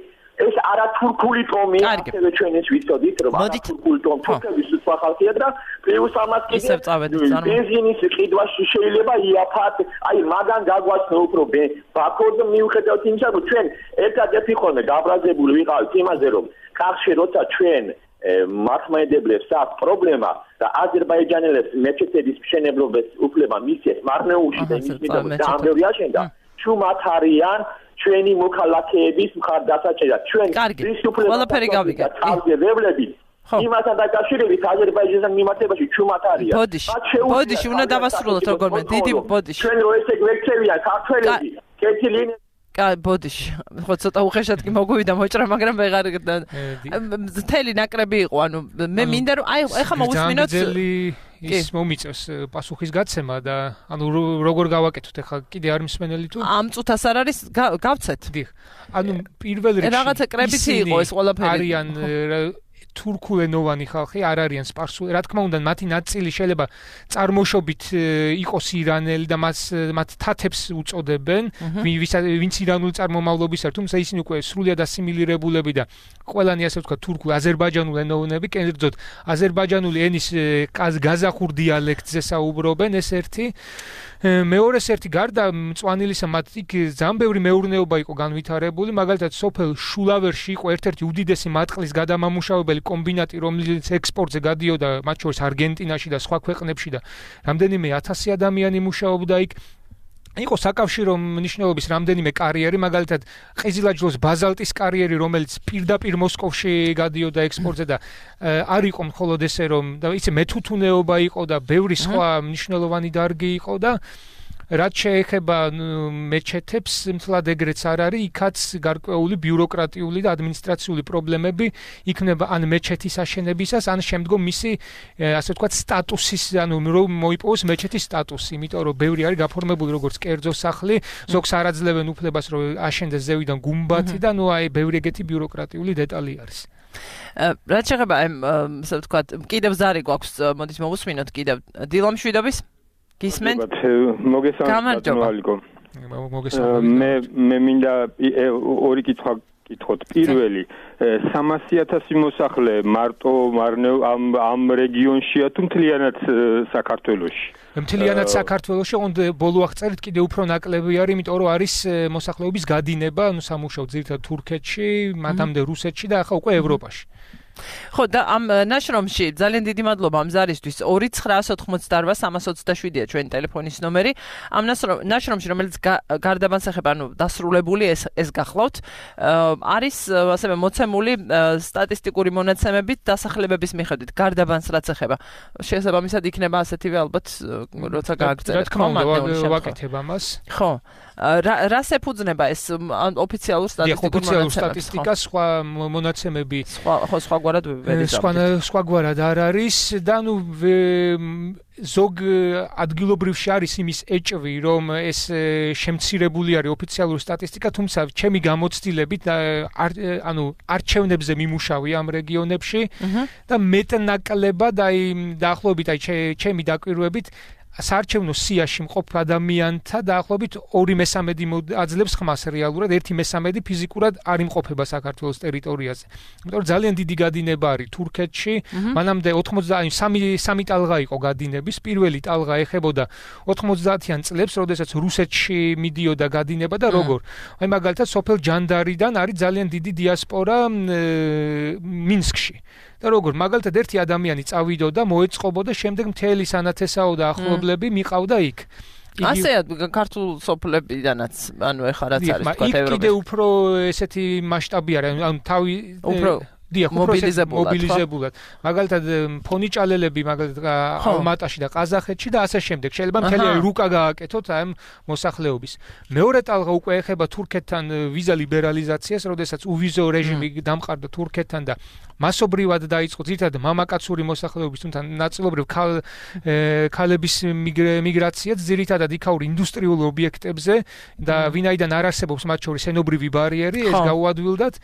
ეს არათურქული ტომი ასევე ჩვენ ეს ვიცოდით რომ არათურქული ტომი თურქების სხვა ხალხია და პლუს ამას კიდე ბენზინის ყიდვაში შეიძლება იაფათ აი მაგან გაგვაცნო უფრო ბაქოს მიუხედავად იმისა რომ ჩვენ ერთადერთი ხოლმე გაბრაზებული ვიყავით იმაზე რომ კახში როცა ჩვენ მართლმადიდებლებს აქვს პრობლემა და აზერბაიჯანელებს მეჩეთების მშენებლობის უფლება მისცეს მარნეულში და იმის მიდამო დაამბევი აშენდა ჩუმად არიან ჩვენი მოქალაქეების მხარდასაჭერად ჩვენ ის ყველაფერი გავიგეთ თავგებლები იმასთან დაკავშირებით აზერბაიჯანთან მიმართებაში ჩუმად არიან ბოდიში უნდა დავასრულოთ როგორმე დიდი ბოდიში ჩვენ რო ესე გვექცევიან ქართველები კეთილი კაი ბოდიში ხო ცოტა უხეშად კი მოგვივიდა მოჭრა მაგრამ ვეღარ მთელი ნაკრები იყო ანუ მე მინდა რომ აი ეხლა მოვუსმინოთ ის მომიწევს პასუხის გაცემა და ანუ როგორ გავაკეთოთ ეხლა კიდე არ მსმენელი თუ ამ წუთას არ არის გავცეთ დიახ ანუ პირველ რიგში რაღაცა კრებითი იყო ეს ყველაფერი არიან თურქულენოვანი ხალხი არ არიან სპარსული რა თქმა უნდა მათი ნაწილი შეიძლება წარმოშობით იყოს ირანელი და მას მათ თათებს უწოდებენ ვინც ირანული წარმომავლობის არის თუმცა ისინი უკვე სრულიად ასიმილირებულები და ყველანი ასე ვთქვათ თურქულ აზერბაიჯანულ ენოვნები კერძოდ აზერბაიჯანული ენის გაზახურ დიალექტზე საუბრობენ ეს ერთი მეორეს ერთი გარდა მწვანილისა მათ იქ ძალიან ბევრი მეურნეობა იყო განვითარებული მაგალითად სოფელ შულავერში იყო ერთ-ერთი უდიდესი მატყლის გადამამუშავებელი კომბინატი რომელიც ექსპორტზე გადიოდა მათ შორის არგენტინაში და სხვა ქვეყნებში და რამდენიმე ათასი ადამიანი მუშაობდა იქ იყო საკავშირო მნიშვნელობის რამდენიმე კარიერი მაგალითად ყიზილაჯლოს ბაზალტის კარიერი რომელიც პირდაპირ მოსკოვში გადიოდა ექსპორტზე და არ იყო მხოლოდ ესე რომ და იცი მეთუთუნეობა იყო და ბევრი სხვა მნიშვნელოვანი დარგი იყო და რაც შეეხება მეჩეთებს მთლად ეგრეც არ არის იქაც გარკვეული ბიუროკრატიული და ადმინისტრაციული პრობლემები იქნება ან მეჩეთის აშენებისას ან შემდგომ მისი ასე ვთქვათ სტატუსის ანუ რომ მოიპოვოს მეჩეთის სტატუსი იმიტომ რომ ბევრი არის გაფორმებული როგორც კერძო სახლი ზოგს არ აძლევენ უფლებას რომ აშენდეს ზევიდან გუმბათი და ნუ აი ბევრი ეგეთი ბიუროკრატიული დეტალი არის რაც შეეხება ასე ვთქვათ კიდევ ზარი გვაქვს მოდით მოვუსმინოთ კიდევ დილამ შვიდობის გისმენთ? მოგესალმებით. მე მე მინდა ორი კითხვა კითხოთ. პირველი, სამასი ათასი მოსახლე მარტო მარნევ ამ ამ რეგიონშია თუ მთლიანად საქართველოში? მთლიანად საქართველოში, ოღონდ ბოლო აღწერით კიდე უფრო ნაკლები არის, იმიტომ რომ არის მოსახლეობის გადინება, ანუ სამუშაო ძირითადად თურქეთში, მათამდე რუსეთში და ახლა უკვე ევროპაში. ხო და ამ ნაშრომში ძალიან დიდი მადლობა ამ ზარისთვის ორი ცხრაას ოთხმოცდაოთხ სამას ოცდაშვიდია ჩვენი ტელეფონის ნომერი ამ ნაშრომში რომელიც გარდაბანს ეხება ანუ დასრულებული ეს ეს გახლავთ არის ასევე მოცემული სტატისტიკური მონაცემებით დასახლებების მიხედვით გარდაბანს რაც ეხება შესაბამისად იქნება ასეთივე ალბათ როცა გააგრძელებს რა თქმა უნდა ვაკეთებ ამას ხო რას ეფუძნება ეს ოფიციალურ სტატისტიკურ სტატისტიკას სხვა მონაცემები სხვა ხო სხვა სხვაგვარად ვერ იზამთრებთ. სხვაგვარად არ არის და ნუ ზოგ ადგილობრივში არის იმის ეჭვი, რომ ეს შემცირებული არის ოფიციალური სტატისტიკა, თუმცა ჩემი გამოცდილებით ანუ არჩევნებზე მიმუშავე ამ რეგიონებში და მეტნაკლებად აი დაახლოებით აი ჩემი დაკვირვებით საარჩევნო სიაში მყოფ ადამიანთა დაახლოებით ორი მესამედი აძლევს ხმას რეალურად, ერთი მესამედი ფიზიკურად არ იმყოფება საქართველოს ტერიტორიაზე. იმიტომ რომ ძალიან დიდი გადინება არის თურქეთში, მანამდე ოცდა삼ი ტალღა იყო გადინების, პირველი ტალღა ეხებოდა ოთხმოცდაათიან წლებს, როდესაც რუსეთში მიდიოდა გადინება და როგორ. აი მაგალითად სოფელ ჯანდარიდან არის ძალიან დიდი დიასპორა მინსკში. და როგორ მაგალითად ერთი ადამიანი წავიდოდა, მოეწყობოდა, შემდეგ მთელი სანათესაო და ახლობლები მიყავდა იქ. ასეა ქართულ სოფლებიდანაც, ანუ ეხლა რაც არის თქვა ევროპაში. იქ კიდე უფრო ესეთი მასშტაბი არის, ანუ თავი უფრო დიახ, მობილიზებულად. მობილიზებულად. მაგალითად ფონიჭალელები მაგალითად ალმატაში და ყაზახეთში და ასე შემდეგ. შეიძლება მთელი რუკა გააკეთოთ ამ მოსახლეობის. მეორე ტალღა უკვე ეხება თურქეთთან ვიზა ლიბერალიზაციას, როდესაც უვიზო რეჟიმი დამყარდა თურქეთთან და მასობრივად დაიწყო ძირითადად მამაკაცური მოსახლეობის, თუმცა ნაწილობრივ ქალების მიგრაციაც ძირითადად იქაურ ინდუსტრიულ ობიექტებზე და ვინაიდან არ არსებობს მათ შორის ენობრივი ბარიერი, ეს გაუადვილდათ.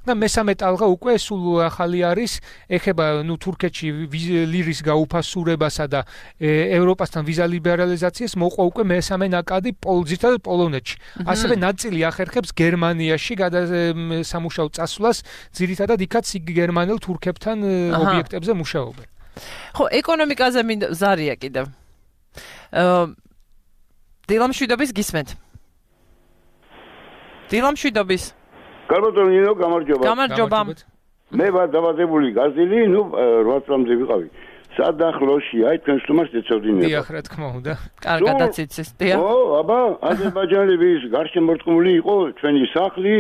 და მესამე ტალღა უკვე სულ ახალი არის, ეხება ნუ თურქეთში ლირის გაუფასურებასა და ევროპასთან ვიზა ლიბერალიზაციას მოყვა უკვე მესამე ნაკადი ძირითადად პოლონეთში. ასევე ნაწილი ახერხებს გერმანიაში გადასამუშაო წასვლას, ძირითადად იქაც გერმანელ თურქებთან ობიექტებზე მუშაობენ. ხო, ეკონომიკაზე ზარია კიდევ. დილამშვიდობის გისმენთ. დილამშვიდობის კარბატონი ნინო გამარჯობა. გამარჯობა. მე ვარ დაბადებული გაზილი, ნუ რვა წლამდე ვიყავი. სადახლოში, აი თქვენ სტუმარს ეცოდინებთ. დიახ, რა თქმა უნდა. კარგადაც იცის, დიახ. ო, აბა, აზერბაიჯანელის გარშემორტყმული იყო ჩვენი სახლი.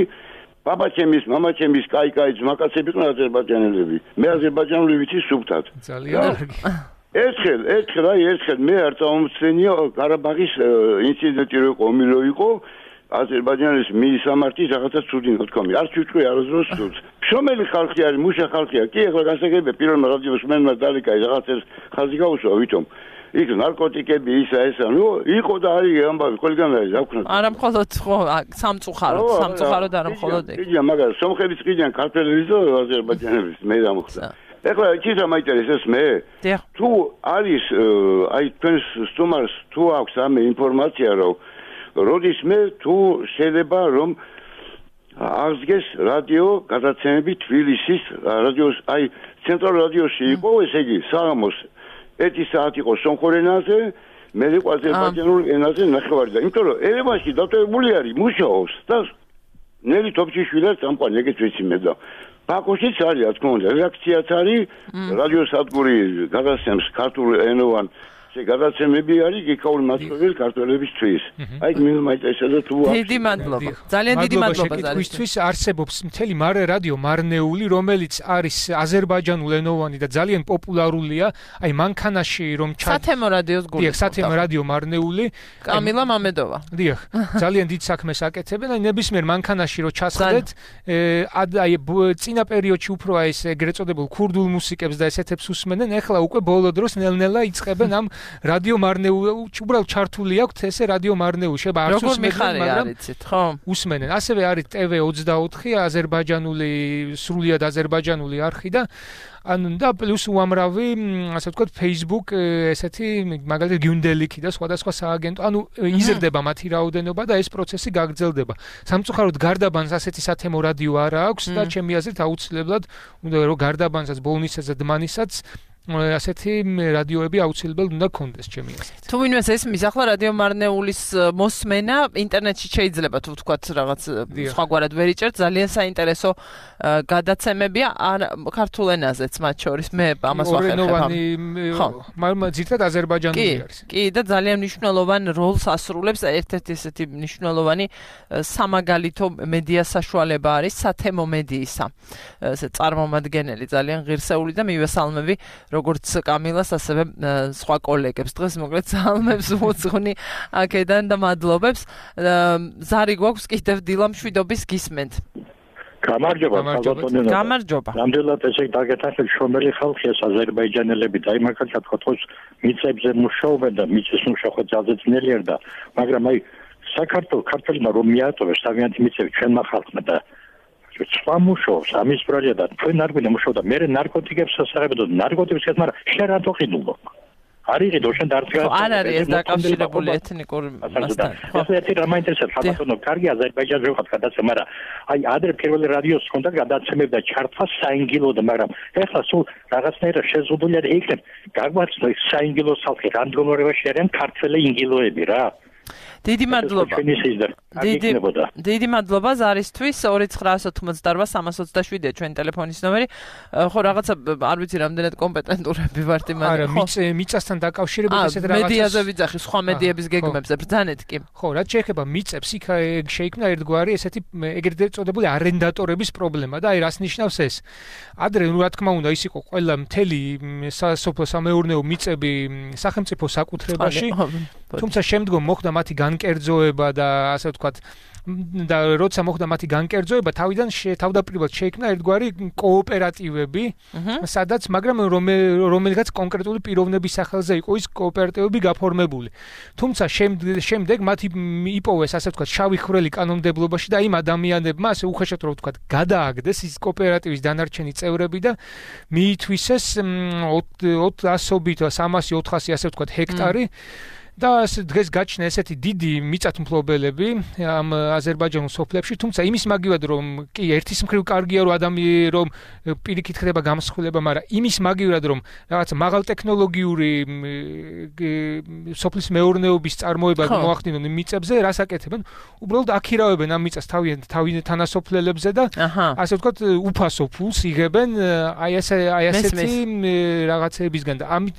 ბაბაჩემის, მამაჩემის, კაი-კაი ძმაკაცები იყვნენ აზერბაიჯანელები. მე აზერბაიჯანული ვიცი სუფთად. ძალიან კარგი. ერთხელ, ერთხელ, აი ერთხელ მე არ წამომცენია ყარაბაღის ინციდენტი რო იყო, ომი რო იყო. აზერბაიჯანის მისამართის რაღაცა ცუდი ნათქვამი. არ ჩუჭყვი არასდროს ცუდს. შრომელი ხალხი არის, მუშა ხალხია. კი, ახლა გასაგებია პირველმა რადიოს მენმა დალიკაი რაღაცას ხალხი გაუსვა, ვითომ. იქ ნარკოტიკები ისა ესა, ნუ იყო და არის ამბავი, ყველგან არის, რა ვქნა. არა მხოლოდ ხო, სამწუხაროდ, სამწუხაროდ არა მხოლოდ ეგ. იგი მაგას სომხების ყიდიან ქართველების და აზერბაიჯანელის მე დამოხდა. ეხლა იცით რა მაინტერესებს მე? თუ არის აი თქვენს სტუმარს თუ აქვს ამ ინფორმაცია რომ როდის მე თუ შეიძლება რომ აღდგეს რადიო გადაცემები თბილისის რადიოს აი ცენტრალურ რადიოში იყო ესე იგი საღამოს ერთი საათი იყო სომხურ ენაზე მე იყო აზერბაიჯანულ ენაზე ნახევარი და იმიტომ რომ ერევანში დატოვებული არის მუშაობს და ნელი თოფჩიშვილად წამყვანი ეგეც ვიცი მე და ბაქოშიც არის რა თქმა უნდა რეაქციაც არის რადიოსადგური გადაცემს ქართულ ენოვან გადაცემები არის გიქაური მასწავლებელი ქართველებისთვის. აი მე მაინტერესებდა თუ დიდი მადლობა. ძალიან დიდი მადლობა ზარისთვის. არსებობს მთელი მარე რადიო მარნეული, რომელიც არის აზერბაიჯანულ ენოვანი და ძალიან პოპულარულია. აი მანქანაში რომ სათემო რადიოს გული. დიახ, სათემო რადიო მარნეული. კამილა მამედოვა. დიახ, ძალიან დიდ საქმეს აკეთებენ. აი ნებისმიერ მანქანაში რომ ჩასხდეთ, აი წინა პერიოდში უფრო აი ეს ეგრეთ წოდებულ ქურდულ მუსიკებს და ესეთებს უსმენენ. ეხლა უკვე ბოლო დროს ნელ-ნელა იწყებენ ამ რადიო მარნეული უბრალოდ ჩართული აქვს ესე რადიო მარნეული შეიძლება არც უსმენენ მაგრამ ხო უსმენენ ასევე არის ტე ვე ოცდაოთხი აზერბაიჯანული სრულიად აზერბაიჯანული არხი და ანუ და პლუს უამრავი ასე ვთქვათ Facebook ესეთი მაგალითად გიუნდელიკი და სხვადასხვა სააგენტო ანუ იზრდება მათი რაოდენობა და ეს პროცესი გაგრძელდება სამწუხაროდ გარდაბანს ასეთი სათემო რადიო არ აქვს და ჩემი აზრით აუცილებლად უნდა რომ გარდაბანსაც ბოლნისაც და დმანისაც ასეთი რადიოები აუცილებლად უნდა გქონდეს ჩემი აზრით. თუ ვინმეს ესმის ახლა რადიო მარნეულის მოსმენა ინტერნეტში შეიძლება თუ ვთქვათ რაღაც სხვაგვარად ვერ იჭერთ ძალიან საინტერესო გადაცემებია ქართულ ენაზეც მათ შორის მე ამას ვახერხებ. მაგრამ ძირითადად აზერბაიჯანული არის. კი და ძალიან მნიშვნელოვან როლს ასრულებს ერთ-ერთი ესეთი მნიშვნელოვანი სამაგალითო მედია საშუალება არის სათემო მედიისა. ესე წარმომადგენელი ძალიან ღირსეული და მივესალმები როგორც კამილას ასევე სხვა კოლეგებს დღეს მოკლედ სალმებს უძღვნი აქედან და მადლობებს ზარი გვაქვს კიდევ დილამშვიდობის გისმენთ გამარჯობა ხალხო. გამარჯობა. ნამდვილად ესე დაგეთახეთ შრომელი ხალხია აზერბაიჯანელები და იმ ახალ თქოს მიწებზე მუშაობენ და მიწის მუშაობა ძალზე ძნელია და მაგრამ აი საქართველოს ქართველმა რომ მიატოვეს თავიანთი მიწები ჩვენმა ხალხმა და სხვა მუშაობს ამის პროექტი და ჩვენ არ გვინდა მუშაობა მე ნარკოტიკებს ასახებდა ნარკოტიკებს მაგრამ შენ რატო ყიდულო არის დოშენ დარწია არ არის ეს დაკავშირებული ეთნიკური მასთან ხო ეს ერთი რამ ინტერესებს ხალხო კარგი აზერბაიჯანში ვიყავ გადაცემა მაგრამ აი ადრე პირველი რადიოს ჰქონდა გადაცემებდა ჩართვა საინგილოდ მაგრამ ეხლა სულ რაღაცნაირად შეზღუდული არის იქნებ გაგვაცნო საინგილოს ხალხი რამდგომარეობაში არიან ქართველი ინგილოები რა დიდი მადლობა. დიდი დიდი მადლობა ზარისთვის ორი ცხრა ოცდაოთხ სამას ოცდაშვიდი ჩვენი ტელეფონის ნომერი. ხო რაღაცა არ ვიცი რამდენად კომპეტენტურები ვართ იმან. არა, მიწასთან დაკავშირებით ესეთ რაღაცას. მედიაზე ვიძახი, სხვა მედიების გეგმებზე ბრძანეთ კი. ხო, რაც შეეხება მიწებს, იქ შეიქმნა ერთგვარი ესეთი ეგრეთ წოდებული არენდატორების პრობლემა და აი რას ნიშნავს ეს? ადრე რა თქმა უნდა ის იყო ყველა მთელი სასოფლო სამეურნეო მიწები სახელმწიფო საკუთრებაში. თუმცა შემდგომ მოხდა მათი განკერძოება და ასე ვთქვათ და როცა მოხდა მათი განკერძოება თავიდან თავდაპირველად შეიქმნა ერთგვარი კოოპერატივები სადაც მაგრამ რომელიღაც კონკრეტული პიროვნების სახელზე იყო ის კოოპერატივები გაფორმებული თუმცა შემდეგ მათი იპოვეს ასე ვთქვათ შავი ხვრელი კანონმდებლობაში და იმ ადამიანებმა ასე უხეშად რომ ვთქვათ გადააგდეს ის კოოპერატივის დანარჩენი წევრები და მიითვისეს ოცდაობით სამასი ოთხასი ასე ვთქვათ ჰექტარი და დღეს გაჩნდა ესეთი დიდი მიწათმფლობელები ამ აზერბაიჯანულ სოფლებში, თუმცა იმის მაგივად რომ კი ერთის მხრივ კარგია რომ ადამიანი რომ პირიქით ხდება გამსხვილება, მაგრამ იმის მაგივად რომ რაღაც მაღალტექნოლოგიური სოფლის მეურნეობის წარმოება მოახდინონ მიწებზე, რას აკეთებენ? უბრალოდ აქირავებენ ამ მიწას თავიანთ თანასოფლელებზე და ასე ვთქვათ უფასო ფულს იღებენ აი ესე აი ასეთი რაღაცებისგან და ამით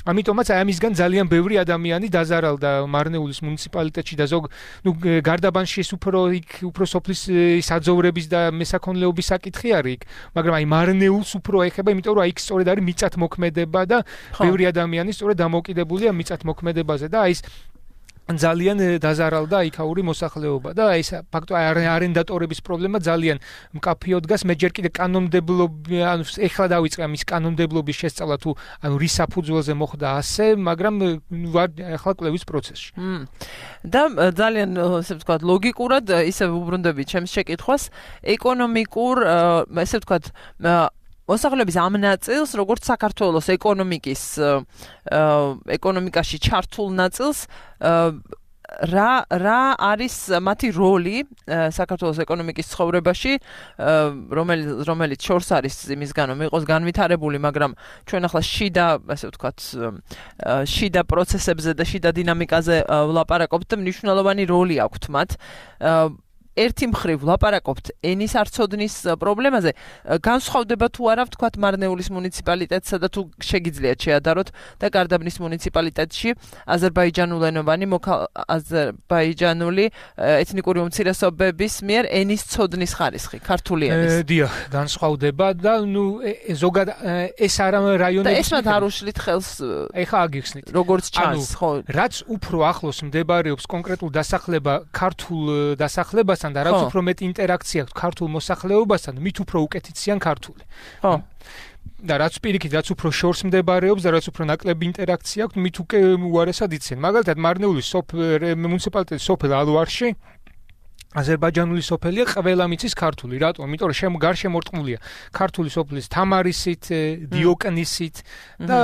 ამიტომაც აი ამისგან ძალიან ბევრი ადამიანი დაზარალდა მარნეულის მუნიციპალიტეტში და ზოგ ნუ გარდაბანში ეს უფრო იქ უფრო სოფლის საძოვრების და მესაქონლეობის საკითხი არის იქ მაგრამ აი მარნეულს უფრო ეხება იმიტომ რომ აი იქ სწორედ არის მიწათმოქმედება და ბევრი ადამიანი სწორედ დამოკიდებულია მიწათმოქმედებაზე და აი ეს ძალიან დაზარალდა იქაური მოსახლეობა და ეს ფაქტო არენდატორების პრობლემა ძალიან მკაფიოდ დგას მე ჯერ კიდე კანონმდებლობი ანუ ეხლა დავიწყე ამის კანონმდებლობის შესწავლა თუ ანუ რის საფუძველზე მოხდა ასე მაგრამ ვარ ეხლა კვლევის პროცესში და ძალიან ესე ვთქვათ ლოგიკურად ისე უბრუნდები ჩემს შეკითხვას ეკონომიკურ ესე ვთქვათ მოსახლეობის ამ ნაწილს, როგორც საქართველოს ეკონომიკის ეკონომიკაში ჩართულ ნაწილს, რა რა არის მათი როლი საქართველოს ეკონომიკის ცხოვრებაში, რომელიც რომელიც შორს არის იმისგან, რომ იყოს განვითარებული, მაგრამ ჩვენ ახლა შიდა, ასე ვთქვათ, შიდა პროცესებზე და შიდა დინამიკაზე ვლაპარაკობთ და მნიშვნელოვანი როლი აქვთ მათ. ერთი მხრივ ვლაპარაკობთ ენის არცოდნის პრობლემაზე. განსხვავდება თუ არა ვთქვათ მარნეულის მუნიციპალიტეტსა და თუ შეგიძლიათ შეადაროთ და გარდაბნის მუნიციპალიტეტში აზერბაიჯანულენოვანი აზერბაიჯანული ეთნიკური უმცირესობების მიერ ენის ცოდნის ხარისხი, ქართული ენის. დიახ, განსხვავდება და ნუ ზოგად ეს არა რაიონები და ეს მათ არ უშლით ხელს. ეხა აგიხსნით. როგორც ჩანს, ხო. რაც უფრო ახლოს მდებარეობს კონკრეტულ დასახლება ქართულ დასახლებასთან და რაც უფრო მეტი ინტერაქცია აქვს ქართულ მოსახლეობასთან, მით უფრო უკეთიციან ქართული. ხო. და რაც პირიქით, რაც უფრო შორს მდებარეობს და რაც უფრო ნაკლები ინტერაქცია აქვს, მით უკვე უარესად იციან. მაგალითად, მარნეულის მუნიციპალიტეტის სოფელ ალვარში აზერბაიჯანული სოფელია ყველა მიცის ქართული. რატომ? იმიტომ რომ შემო გარშემორტყმულია ქართული სოფლის თამარისით, დიოკნისით და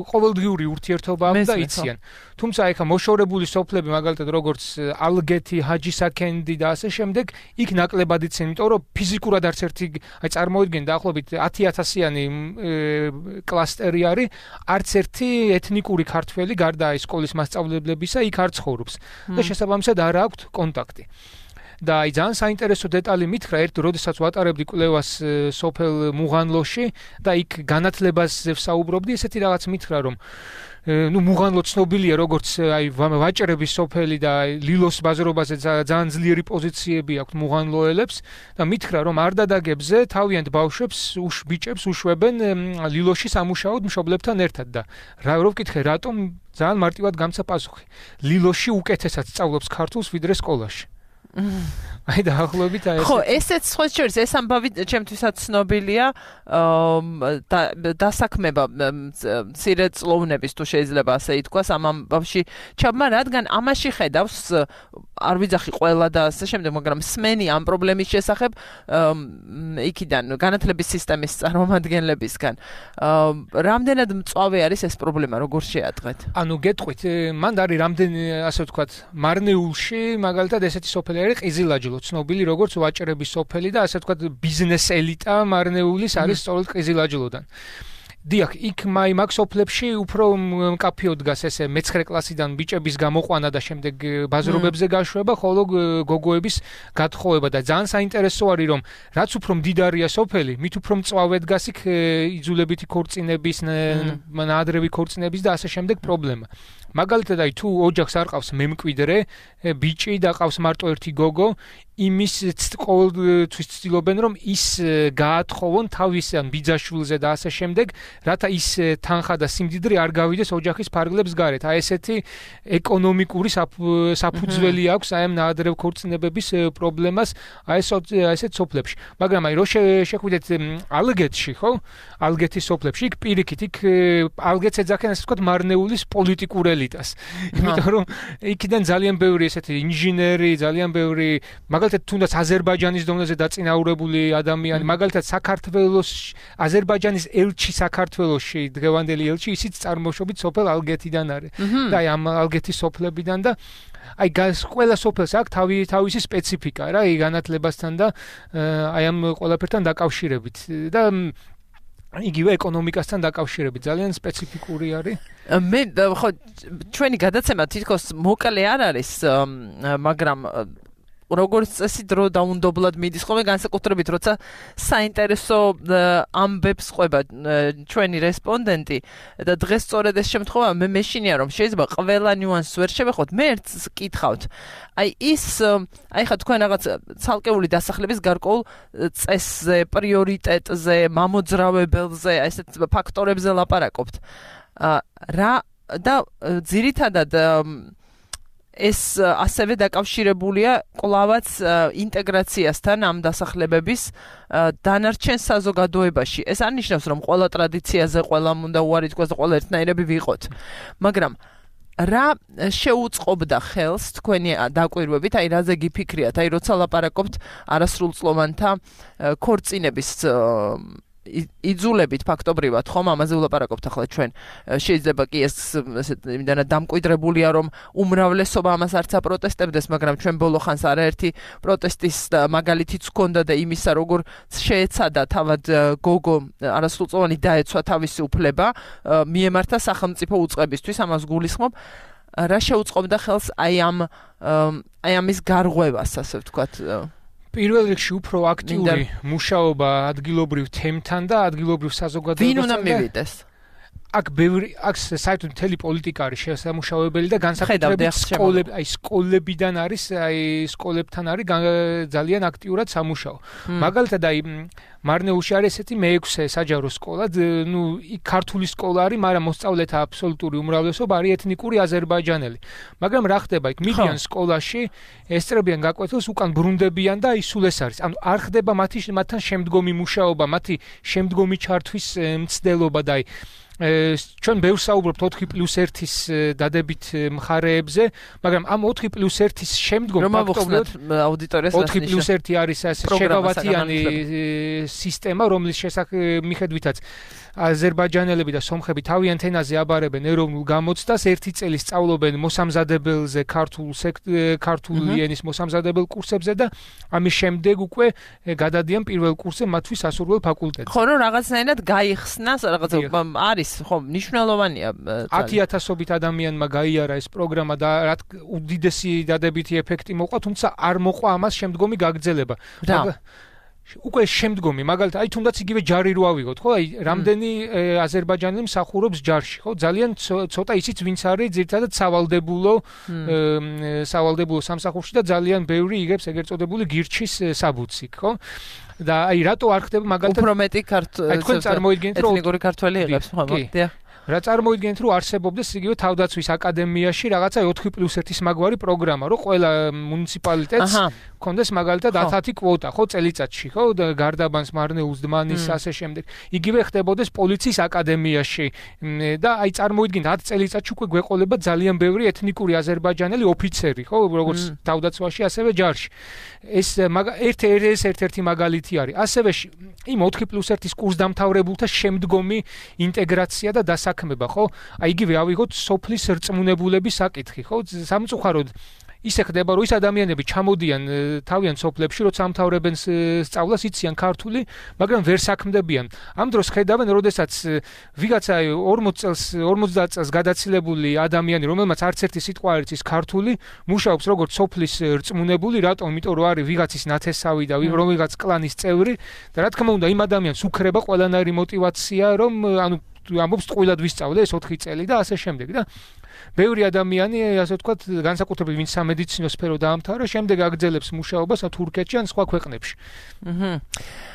ყოველდღიური ურთიერთობა აქვს და იციან. თუმცა ეხა მოშორებული სოფლები, მაგალითად როგორც ალგეთი, ჰაჯისაქენდი და ასე შემდეგ, იქ ნაკლებად იციან, იმიტომ რომ ფიზიკურად არც ერთი აი წარმოიდგენ დაახლოებით ათი ათასიანი კლასტერი არის, არც ერთი ეთნიკური ქართველი გარდა სკოლის მასწავლებლებისა იქ არ ცხოვრობს და შესაბამისად არ აქვთ კონტაქტი. და აი ძალიან საინტერესო დეტალი მითხრა ერთ როდესაც ვატარებდი კვლევას სოფელ მუღანლოში და იქ განათლებაზე ვსაუბრობდი ესეთი რაღაც მითხრა რომ ну მუღანლო ცნობილია როგორც აი ვაჭრების სოფელი და ლილოს ბაზრობაზე ძალიან ძლიერი პოზიციები აქვს მუღანლოელებს და მითხრა რომ არდადაგებზე თავიანთ ბავშვებს უშ ბიჭებს უშვებენ ლილოში სამუშაოდ მშობლებთან ერთად და რა რო ვკითხე რატომ ძალიან მარტივად გამცა პასუხი ლილოში უკეთესად სწავლობს ქართულს ვიდრე სკოლაში აი დაახლოებით აი ეს ხო ესეც სხვა შორის ეს ამბავი ჩემთვისაც ცნობილია დასაქმება მცირე წლოვნების თუ შეიძლება ასე ითქვას ამ ამბავში ჩაბმა რადგან ამაში ხედავს არ ვიძახი ყველა და ასე შემდეგ მაგრამ სმენი ამ პრობლემის შესახებ იქიდან განათლების სისტემის წარმომადგენლებისგან რამდენად მწვავე არის ეს პრობლემა როგორ შეატყეთ ანუ გეტყვით მან არის რამდენი ასე ვთქვათ მარნეულში მაგალითად ესეთი სოფელი არის ყიზილაჯლო ცნობილი როგორც ვაჭრების სოფელი და ასე ვთქვათ ბიზნეს ელიტა მარნეულის არის სწორედ ყიზილაჯლოდან დიახ, იქ მაი მაგ სოფლებში უფრო მკაფიო დგას ესე მეცხრე კლასიდან ბიჭების გამოყვანა და შემდეგ ბაზრობებზე გაშვება, ხოლო გოგოების გათხოვება და ძალიან საინტერესო არის რომ რაც უფრო მდიდარია სოფელი, მით უფრო მწვავე დგას იქ იძულებითი ქორწინების, ნაადრევი ქორწინების და ასე შემდეგ პრობლემა. მაგალითად აი თუ ოჯახს არ ყავს მემკვიდრე, ბიჭი და ყავს მარტო ერთი გოგო, იმის ყოველთვის ცდილობენ რომ ის გაათხოვონ თავის ან ბიძაშვილზე და ასე შემდეგ, რათა ის თანხა და სიმდიდრე არ გავიდეს ოჯახის ფარგლებს გარეთ. აი ესეთი ეკონომიკური საფუძველი აქვს აი ამ ნაადრევ ქორწინებების პრობლემას აი ესეთ სოფლებში. მაგრამ აი რო შეხვიდეთ ალგეთში, ხო? ალგეთის სოფლებში იქ პირიქით იქ ალგეთს ეძახიან ასე ვთქვათ მარნეულის პოლიტიკურ ელიტას. იმიტომ რომ იქიდან ძალიან ბევრი ესეთი ინჟინერი, ძალიან ბევრი მაგალითად თუნდაც აზერბაიჯანის დონეზე დაწინაურებული ადამიანი, მაგალითად საქართველოს აზერბაიჯანის ელჩი საქართველოში, დღევანდელი ელჩი, ისიც წარმოშობით სოფელ ალგეთიდან არის. და აი ამ ალგეთის სოფლებიდან და აი ყველა სოფელს აქვს თავი თავისი სპეციფიკა რა, აი განათლებასთან და აი ამ ყველაფერთან დაკავშირებით და იგივე ეკონომიკასთან დაკავშირებით ძალიან სპეციფიკური არის. მე ხო ჩვენი გადაცემა თითქოს მოკლე არ არის, მაგრამ როგორც წესი დრო დაუნდობლად მიდის ხოლმე განსაკუთრებით როცა საინტერესო ამბებს ყვება ჩვენი რესპონდენტი და დღეს სწორედ ეს შემთხვევა მე მეშინია რომ შეიძლება ყველა ნიუანსს ვერ შევეხოთ მე ერთს კითხავთ აი ის აი ხა თქვენ რაღაც ცალკეული დასახლების გარკვეულ წესზე პრიორიტეტზე მამოძრავებელზე აი ესეთ ფაქტორებზე ლაპარაკობთ რა და ძირითადად ეს ასევე დაკავშირებულია კლავაც ინტეგრაციასთან ამ დასახლებების დანარჩენ საზოგადოებაში. ეს არ ნიშნავს რომ ყველა ტრადიციაზე ყველამ უნდა უარი თქვას და ყველა ერთნაირები ვიყოთ. მაგრამ რა შეუწყობდა ხელს თქვენი დაკვირვებით, აი რაზე გიფიქრიათ, აი როცა ლაპარაკობთ არასრულწლოვანთა ქორწინების იძულებით ფაქტობრივად ხომ ამაზე ვლაპარაკობთ ახლა ჩვენ შეიძლება კი ეს იმდანაც დამკვიდრებულია რომ უმრავლესობა ამას არც აპროტესტებდეს მაგრამ ჩვენ ბოლო ხანს არაერთი პროტესტის მაგალითიც ჰქონდა და იმისა როგორ შეეცადა თავად გოგო არასრულწლოვანი დაეცვა თავისი უფლება მიემართა სახელმწიფო უწყებისთვის ამას გულისხმობ რა შეუწყობდა ხელს აი ამ აი ამის გარღვევას ასე ვთქვათ პირველ რიგში უფრო აქტიური მუშაობა ადგილობრივ თემთან და ადგილობრივ საზოგადოებასთან. ვინ უნდა მივიდეს? აქ ბევრი აქ საერთოდ მთელი პოლიტიკა არის შესამუშავებელი და განსაკუთრებით სკოლები, აი სკოლებიდან არის, აი სკოლებთან არის ძალიან აქტიურად სამუშაო. მაგალითად აი მარნეულში არის ესეთი მეექვსე საჯარო სკოლა, ნუ იქ ქართული სკოლა არის, მაგრამ მოსწავლეთა აბსოლუტური უმრავლესობა არის ეთნიკური აზერბაიჯანელი. მაგრამ რა ხდება იქ მიდიან სკოლაში, ესწრებიან გაკვეთილს, უკან ბრუნდებიან და აი სულ ეს არის. ანუ არ ხდება მათი მათთან შემდგომი მუშაობა, მათი შემდგომი ჩართვის მცდელობა და აი ჩვენ ბევრს საუბრობთ ოთხი პლუს ერთის დადებით მხარეებზე, მაგრამ ამ ოთხი პლუს ერთის შემდგომ ფაქტობრივად აუდიტორიას ოთხი პლუს ერთი არის ასე შეგავათიანი სისტემა, რომლის მიხედვითაც აზერბაიჯანელები და სომხები თავიანთ ენაზე აბარებენ ეროვნულ გამოცდას, ერთი წელი სწავლობენ მოსამზადებელზე, ქართულ ქართული ენის მოსამზადებელ კურსებზე და ამის შემდეგ უკვე გადადიან პირველ კურსზე მათთვის სასურველ ფაკულტეტზე. ხო, რომ რაღაცნაირად გაიხსნა, რაღაც არის, ხო, მნიშვნელოვანია. ათი ათასობით ადამიანმა გაიარა ეს პროგრამა და რა უდიდესი დადებითი ეფექტი მოყვა, თუმცა არ მოყვა ამას შემდგომი გაგრძელება. უკვე შემდგომი, მაგალითად, აი თუნდაც იგივე ჯარი რო ავიღოთ, ხო? აი რამდენი აზერბაიჯანელი მსახურობს ჯარში, ხო? ძალიან ცოტა ისიც ვინც არის ძირითადად სავალდებულო სავალდებულო სამსახურში და ძალიან ბევრი იგებს ეგრეთ წოდებული გირჩის საბუთსი, ხო? და აი რატო არ ხდება მაგალითად უფრო მეტი ქართველი თქვენ წარმოიდგინეთ რომ ეთნიკური ქართველი იღებს ხო მოდია რა წარმოიდგინეთ რომ არსებობდეს იგივე თავდაცვის აკადემიაში რაღაცა ოთხი პლუს ერთის მაგვარი პროგრამა რომ ყველა მუნიციპალიტეტს გქონდეს მაგალითად ათი კვოტა, ხო, წელიწადში, ხო, გარდაბანს, მარნეულს, დმანის, ასე შემდეგ. იგივე ხდებოდეს პოლიციის აკადემიაში და აი წარმოიდგინეთ ათ წელიწადში უკვე გვეყოლება ძალიან ბევრი ეთნიკური აზერბაიჯანელი ოფიცერი, ხო, როგორც თავდაცვაში, ასევე ჯარში. ეს ერთ-ერთი ერთ-ერთი მაგალითი არის. ასევე იმ ოთხი პლუს ერთის კურსდამთავრებულთა შემდგომი ინტეგრაცია და დასაქმება, ხო? აი იგივე ავიღოთ სოფლის რწმუნებულების საკითხი, ხო? სამწუხაროდ ისე ხდება, რომ ის ადამიანები ჩამოდიან თავიანთ სოფლებში, როცა ამთავრებენ სწავლას, იციან ქართული, მაგრამ ვერ საქმდებიან. ამ დროს ხედავენ, როდესაც ვიღაცა ორმოც წელს, ორმოცდაათ წელს გადაცილებული ადამიანი, რომელმაც არც ერთი სიტყვა არ იცის ქართული, მუშაობს როგორც სოფლის რწმუნებული, რატომ? იმიტომ რომ არის ვიღაცის ნათესავი და ვიღაც კლანის წევრი და რა თქმა უნდა, იმ ადამიანს უქრება ყველანაირი мотиваცია, რომ ანუ ამბობს ტყუილად ვისწავლე ეს ოთხი წელი და ასე შემდეგ და ბევრი ადამიანი, ასე ვთქვათ, განსაკუთრებით ვინც სამედიცინო სფერო დაამთავრა, შემდეგ აგრძელებს მუშაობას თურქეთში ან სხვა ქვეყნებში. აჰა.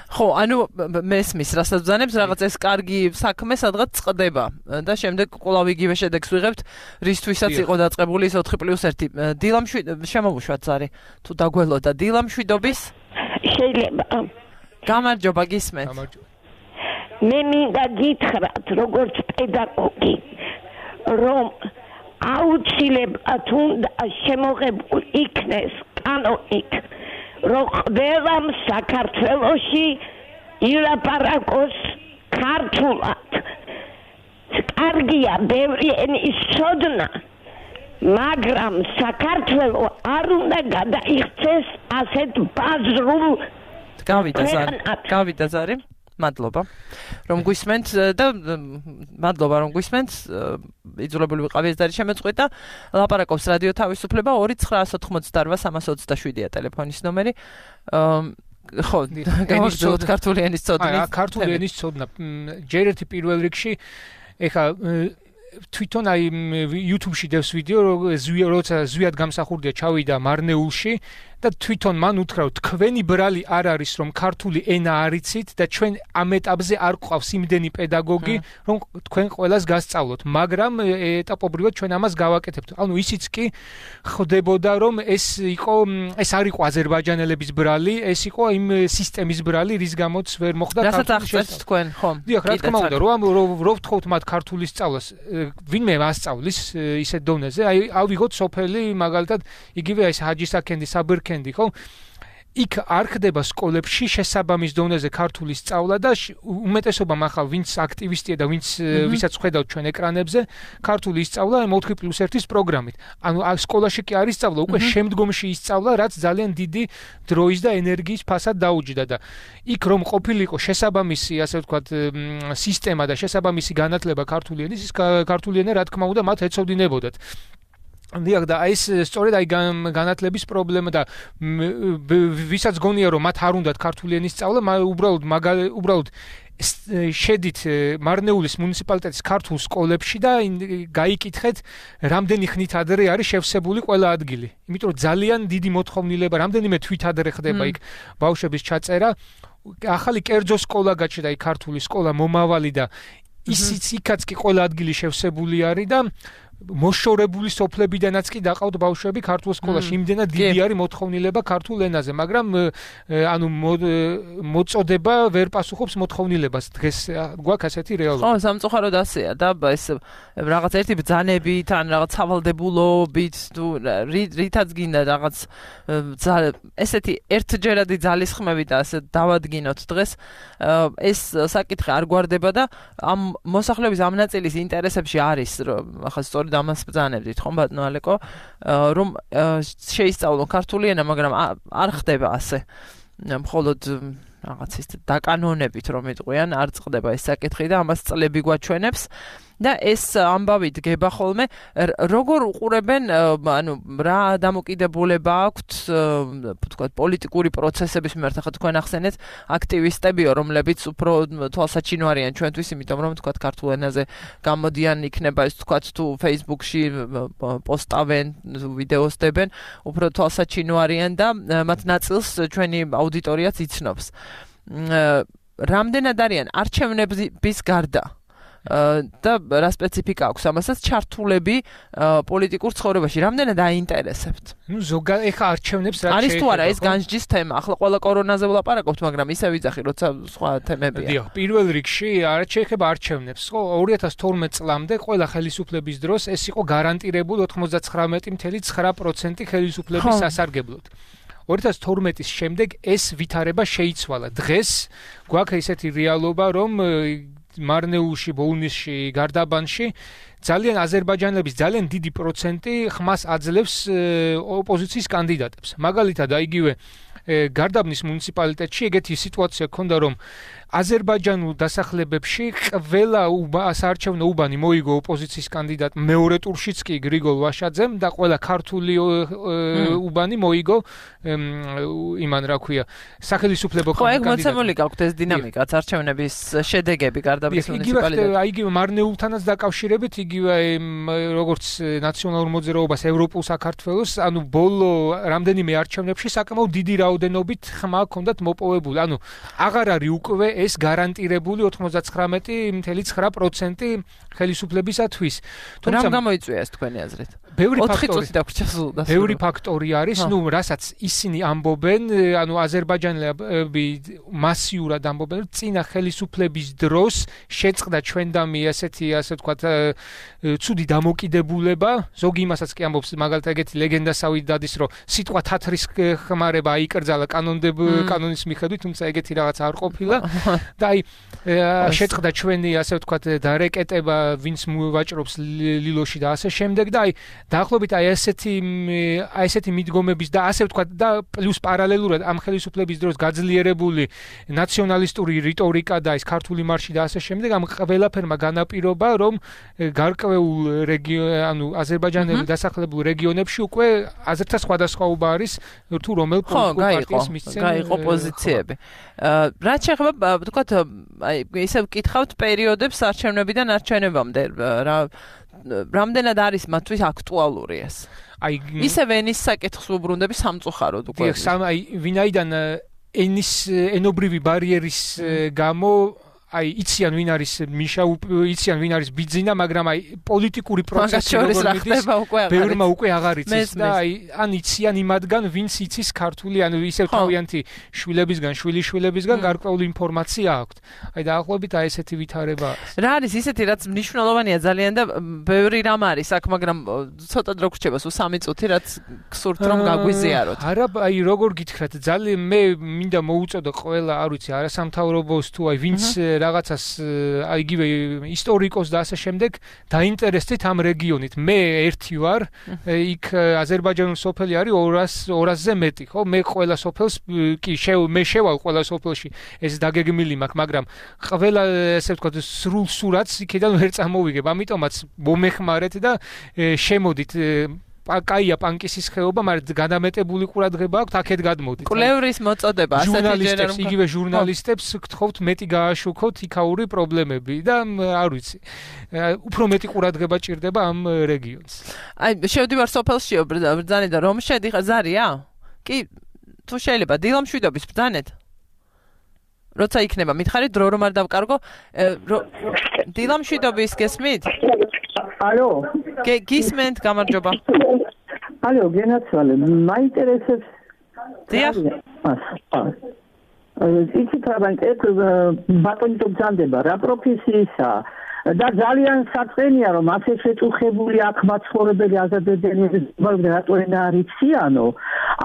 ხო, ანუ მესმის, რასაც ბრძანებს, რაღაც ეს კარგი საქმე სადღაც წყდება და შემდეგ კვლავ იგივე შედეგს ვიღებთ, რისთვისაც იყო დაწყებული ეს ოთხი პლუს ერთი. დილამშვიდ შემოვუშვათ ზარი, თუ დაგველოდა დილამშვიდობის? შეიძლება. გამარჯობა, გისმენთ. გამარჯობა. მე მინდა გითხრათ, როგორც პედაგოგი, რომ აუცილებლად უნდა შემოღებულ იქნეს კანონით, რომ ყველამ საქართველოში ილაპარაკოს ქართულად. კარგია ბევრი ენის ცოდნა, მაგრამ საქართველო არ უნდა გადაიქცეს ასეთ ბაზრულ გავიდა ზარი. გავიდა ზარი. მადლობა რომ გვისმენთ და მადლობა რომ გვისმენთ იძულებული ვიყავი ეს დარი შემეწყვეტა ლაპარაკობს რადიო თავისუფლება ორი ცხრაას ოთხმოცდაოთხ სამას ოცდაშვიდია ტელეფონის ნომერი ხო გავაგრძელოთ ქართული ენის ცოდნა ქართული ენის ცოდნა ჯერ ერთი პირველ რიგში ეხა თვითონ აი YouTube-ში დევს ვიდეო როცა ზვიად გამსახურდია ჩავიდა მარნეულში და თვითონ მან უთხრა რომ თქვენი ბრალი არ არის რომ ქართული ენა არიცით და ჩვენ ამ ეტაპზე არ გვყავს იმდენი პედაგოგი რომ თქვენ ყველას გასწავლოთ მაგრამ ეტაპობრივად ჩვენ ამას გავაკეთებთ ანუ ისიც კი ხდებოდა რომ ეს იყო ეს არ იყო აზერბაიჯანელების ბრალი ეს იყო იმ სისტემის ბრალი რის გამოც ვერ მოხდა ქართული თქვენ ხო დიახ რა თქმა უნდა რომ რო ვთხოვთ მათ ქართული სწავლას ვინმე მასწავლის ისეთ დონეზე აი ავიღოთ სოფელი მაგალითად იგივე ეს ჰაჯისაკენდი საბერ კენდი ხო იქ არ ხდება სკოლებში შესაბამის დონეზე ქართული სწავლა და უმეტესობამ ახლა ვინც აქტივისტია და ვინც ვისაც ხედავთ ჩვენ ეკრანებზე ქართული ისწავლა ოთხი პლუს ერთის პროგრამით ანუ სკოლაში კი არ ისწავლა უკვე შემდგომში ისწავლა რაც ძალიან დიდი დროის და ენერგიის ფასად დაუჯდა და იქ რომ ყოფილიყო შესაბამისი ასე ვთქვათ სისტემა და შესაბამისი განათლება ქართული ენის ის ქართული ენა რა თქმა უნდა მათ ეცოდინებოდათ დიახ და ეს სწორედ აი განათლების პრობლემა და ვისაც გონია რომ მათ არ უნდათ ქართული ენის სწავლა უბრალოდ უბრალოდ შედით მარნეულის მუნიციპალიტეტის ქართულ სკოლებში და გაიკითხეთ რამდენი ხნით ადრე არის შევსებული ყველა ადგილი იმიტომ რომ ძალიან დიდი მოთხოვნილება რამდენიმე თვით ადრე ხდება იქ ბავშვების ჩაწერა ახალი კერძო სკოლა გაჩნდა იქ ქართული სკოლა მომავალი და ისიც იქაც კი ყველა ადგილი შევსებული არის და მოშორებული სოფლებიდანაც კი დაყავთ ბავშვები ქართულ სკოლაში. იმდენად დიდი არის მოთხოვნილება ქართულ ენაზე, მაგრამ ანუ მოწოდება ვერ პასუხობს მოთხოვნილებას. დღეს გვაქვს ასეთი რეალობა. ხო, სამწუხაროდ ასეა და ეს რაღაც ერთი ბრძანებით ან რაღაც სავალდებულობით თუ რითაც გინდა რაღაც ესეთი ერთჯერადი ძალისხმევი და ასე დავადგინოთ დღეს ეს საკითხი არ გვარდება და ამ მოსახლეობის ამ ნაწილის ინტერესებში არის რომ ახლა სწორედ ამას ბრძანებდით ხომ ბატონო ალეკო რომ შეისწავლონ ქართული ენა მაგრამ არ ხდება ასე მხოლოდ რაღაც ის დაკანონებით რომ იტყვიან არ წყდება ეს საკითხი და ამას წლები გვაჩვენებს და ეს ამბავი დგება ხოლმე როგორ უყურებენ ანუ რა დამოკიდებულება აქვთ თქვათ პოლიტიკური პროცესების მიმართ ახლა თქვენ ახსენეთ აქტივისტებიო რომლებიც უფრო თვალსაჩინო არიან ჩვენთვის იმიტომ რომ თქვათ ქართულ ენაზე გამოდიან იქნება ეს თქვათ თუ Facebook-ში პოსტავენ ვიდეოს დებენ უფრო თვალსაჩინო არიან და მათ ნაწილს ჩვენი აუდიტორიაც იცნობს რამდენად არიან არჩევნების გარდა და რა სპეციფიკა აქვს ამასაც ჩართულები პოლიტიკურ ცხოვრებაში რამდენად აინტერესებთ? ნუ ზოგადად ეხა არჩევნებს რა არის თუ არა ეს განსჯის თემა? ახლა ყველა კორონაზე ვლაპარაკობთ, მაგრამ ისე ვიძახი, როცა სხვა თემებია. დიახ, პირველ რიგში არ შეეხება არჩევნებს, ხო? ორი ათას თორმეტ წლამდე ყველა ხელისუფლების დროს ეს იყო გარანტირებული ოცდათხმეტი წუთი ცხრა პროცენტი ხელისუფლების სასარგებლოდ. ორი ათას თორმეტის შემდეგ ეს ვითარება შეიცვალა. დღეს გვაქვს ესეთი რეალობა, რომ მარნეულში, ბოუნისში, გარდაბანში ძალიან აზერბაიჯანელების ძალიან დიდი პროცენტი ხმას აძლევს ოპოზიციის კანდიდატებს. მაგალითად, აიგივე გარდაბნის მუნიციპალიტეტში ეგეთი სიტუაცია ჰქონდა, რომ აზერბაიჯანულ დასახლებებში ყველა საარჩევნო უბანი მოიგო ოპოზიციის კანდიდატ მეორე ტურშიც კი გრიგოლ ვაშაძემ და ყველა ქართული უბანი მოიგო იმან რა ქვია სახელმწიფო კანდიდატი. ხო, ეგ მოცემული გაქვთ ეს დინამიკაც არჩევნების შედეგები გარდაბნის მუნიციპალიტეტში. აიგივე მარნეულთანაც დაკავშირებით, იგივე როგორც ნაციონალურ მოძრაობას ევროპულ საქართველოს, ანუ ბოლო რამდენიმე არჩევნებში საკმაოდ დიდი რაოდენობით ხმა ჰქონდათ მოპოვებული. ანუ აღარ არის უკვე ეს გარანტირებული ოცდათხმეტი წუთი ცხრა პროცენტი ხელისუფლებისათვის. თუმცა რამ გამოიწვია ეს თქვენი აზრით? ბევრი ფაქტორი დაგვჭასულდა. ბევრი ფაქტორი არის, ნუ რასაც ისინი ამბობენ, ანუ აზერბაიჯანელები მასიურად ამბობენ, რომ წინა ხელისუფლების დროს შეწყდა ჩვენდამი ასეთი, ასე ვთქვათ, ცუდი დამოკიდებულება, ზოგი იმასაც კი ამბობს, მაგალითად ეგეთი ლეგენდასავით დადის, რომ სიტყვა თათრის ხმარება აიკრძალა კანონდებ კანონის მიხედვით, თუმცა ეგეთი რაღაც არ ყოფილა და აი შეწყდა ჩვენი, ასე ვთქვათ, დარეკეტება, ვინც მოვაჭრობს ლილოში და ასე შემდეგ და აი დაახლოებით აი ესეთი აი ესეთი მიდგომების და ასე ვთქვათ და პლუს პარალელურად ამ ხელისუფლების დროს გაძლიერებული ნაციონალისტური რიტორიკა და ეს ქართული მარში და ასე შემდეგ ამ ყველაფერმა განაპირობა რომ გარკვეულ ანუ აზერბაიჯანელი დასახლებულ რეგიონებში უკვე აზრთა სხვადასხვაობა არის თუ რომელ პოლიტიკურ პარტიას მისცემ გაიყო პოზიციები. რაც შეეხება ვთქვათ აი ისევ ვკითხავთ პერიოდებს არჩევნებიდან არჩევნებამდე რა რამდენად არის მათთვის აქტუალური ეს? აი ისევ ენის საკითხს ვუბრუნდები სამწუხაროდ უკვე. დიახ, აი ვინაიდან ენის ენობრივი ბარიერის გამო აი იციან ვინ არის მიშა იციან ვინ არის ბიძინა, მაგრამ აი პოლიტიკური პროცესი როგორ მიდის ბევრმა უკვე აღარ იცის და აი ან იციან იმადგან ვინც იცის ქართული, ანუ ისევ თავიანთი შვილებისგან, შვილიშვილებისგან გარკვეული ინფორმაცია აქვთ. აი დაახლოებით აი ესეთი ვითარება. რა არის ისეთი რაც მნიშვნელოვანია ძალიან და ბევრი რამ არის აქ, მაგრამ ცოტა დრო გრჩება, სულ სამი წუთი რაც გსურთ რომ გაგვიზიაროთ. არა, აი როგორ გითხრათ, ძალიან მე მინდა მოუწოდო ყველა, არ ვიცი, არასამთავრობოს თუ აი ვინც რაღაცას აიგივე ისტორიკოს და ასე შემდეგ დაინტერესდით ამ რეგიონით. მე ერთი ვარ, იქ აზერბაიჯანული სოფელი არის ორასზე მეტი, ხო? მე ყველა სოფელს კი მე შევალ ყველა სოფელში ეს დაგეგმილი მაქვს, მაგრამ ყველა ესე ვთქვათ სრულ სურათს იქიდან ვერ წამოვიგებ. ამიტომაც მომეხმარეთ და შემოდით კაია პანკისის ხეობა, მაგრამ განამეტებული ყურადღება აქვს, აქეთ გადმოდით. კვლევრის მოწოდება, ასეთი ჟურნალისტებს, იგივე ჟურნალისტებს გთხოვთ მეტი გააშუქოთ იქაური პრობლემები და არ ვიცი. უფრო მეტი ყურადღება ჭირდება ამ რეგიონს. აი, შევდივარ სოფელშიო ბრძანეთ და რომ შედიხარ ზარია? კი, თუ შეიძლება დილამშვიდობის ბრძანეთ. როცა იქნება, მითხარით დრო რომ არ დავკარგო, დილამშვიდობის გესმით? ალო. გისმენთ, გამარჯობა. ალო, გენაცვალე, მაინტერესებს. დიახ. იცით რა მაინტერესებს, ბატონი თუ ბრძანდება, რა პროფესიისაა? და ძალიან საწყენია რომ ასე შეწუხებული აქ მაცხოვრებელი აზერბაიჯანელები რატოენა არ იციანო.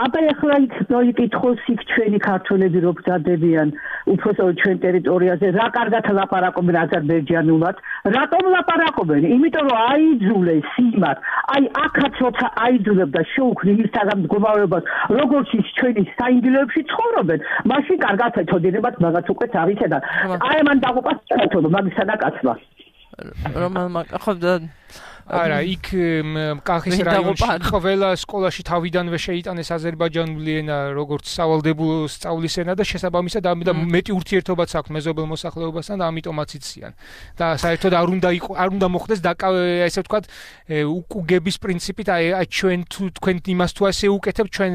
აბა ეხლა იქ მოიკითხოს იქ ჩვენი ქართველები რო ბრძანდებიან უბრალოდ ჩვენ ტერიტორიაზე რა კარგად ლაპარაკობენ აზერბაიჯანულად, რატომ ლაპარაკობენ? იმიტომ რომ აიძულეს იმათ, აი აქაც როცა აიძულებ და შეუქმნი მისთაგან მდგომარეობას, როგორც ის ჩვენი საინგილოებში ცხოვრობენ, მაშინ კარგად ეთოდინებათ მაგაც უკვე თავისა და აი მან დაგუპასწრეთო მაგისა და კაცმა. რომელმა ხო არა, იქ კახის რაიონში ყველა სკოლაში თავიდანვე შეიტანეს აზერბაიჯანული ენა როგორც სავალდებულო სწავლის ენა და შესაბამისად ამიტომ მეტი ურთიერთობაც აქვს მეზობელ მოსახლეობასთან და ამიტომაც იციან. და საერთოდ არ უნდა არ უნდა მოხდეს და ესე ვთქვათ უკუგების პრინციპით აი ჩვენ თქვენ იმას თუ ასე უკეთებთ ჩვენ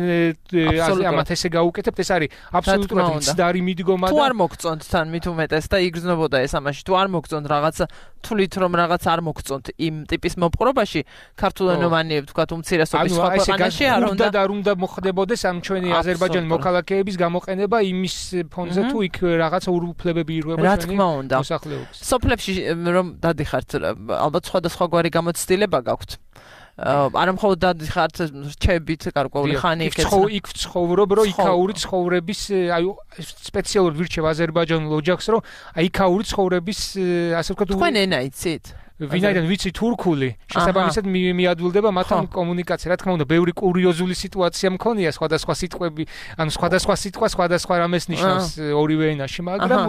ამათ ესე გაუკეთებთ ეს არის აბსოლუტურად მცდარი მიდგომა და თუ არ მოგწონთ თან მით უმეტეს და იგრძნობოდა ეს ამაში თუ არ მოგწონთ რაღაცა თulit რომ რაღაც არ მოგწონთ იმ ტიპის მოპყრობაში ქართულენოვანი ვთქვათ უმცირესობის სხვა ქვეყანაში არ უნდა და არ უნდა მოხდებოდეს ამ ჩვენი აზერბაიჯანის მოქალაქეების გამოყენება იმის ფონზე თუ იქ რაღაცა უფლებები ირღვება ჩვენი მოსახლეობის სოფლებში რომ დადიხართ ალბათ სხვადასხვაგვარი გამოცდილება გაქვთ არა მხოლოდ დადიხართ რჩებით გარკვეული ხანი იქ იქ ცხოვრობ რომ იქაური ცხოვრების აი სპეციალურად ვირჩევ აზერბაიჯანულ ოჯახს რომ აი იქაური ცხოვრების ასე ვთქვათ თქვენ ენა იცით ვინაიდან ვიცი თურქული შესაბამისად მიადვილდება მათთან კომუნიკაცია რა თქმა უნდა ბევრი კურიოზული სიტუაცია მქონია სხვადასხვა სიტყვები ანუ სხვადასხვა სიტყვა სხვადასხვა რამეს ნიშნავს ორივე ენაში მაგრამ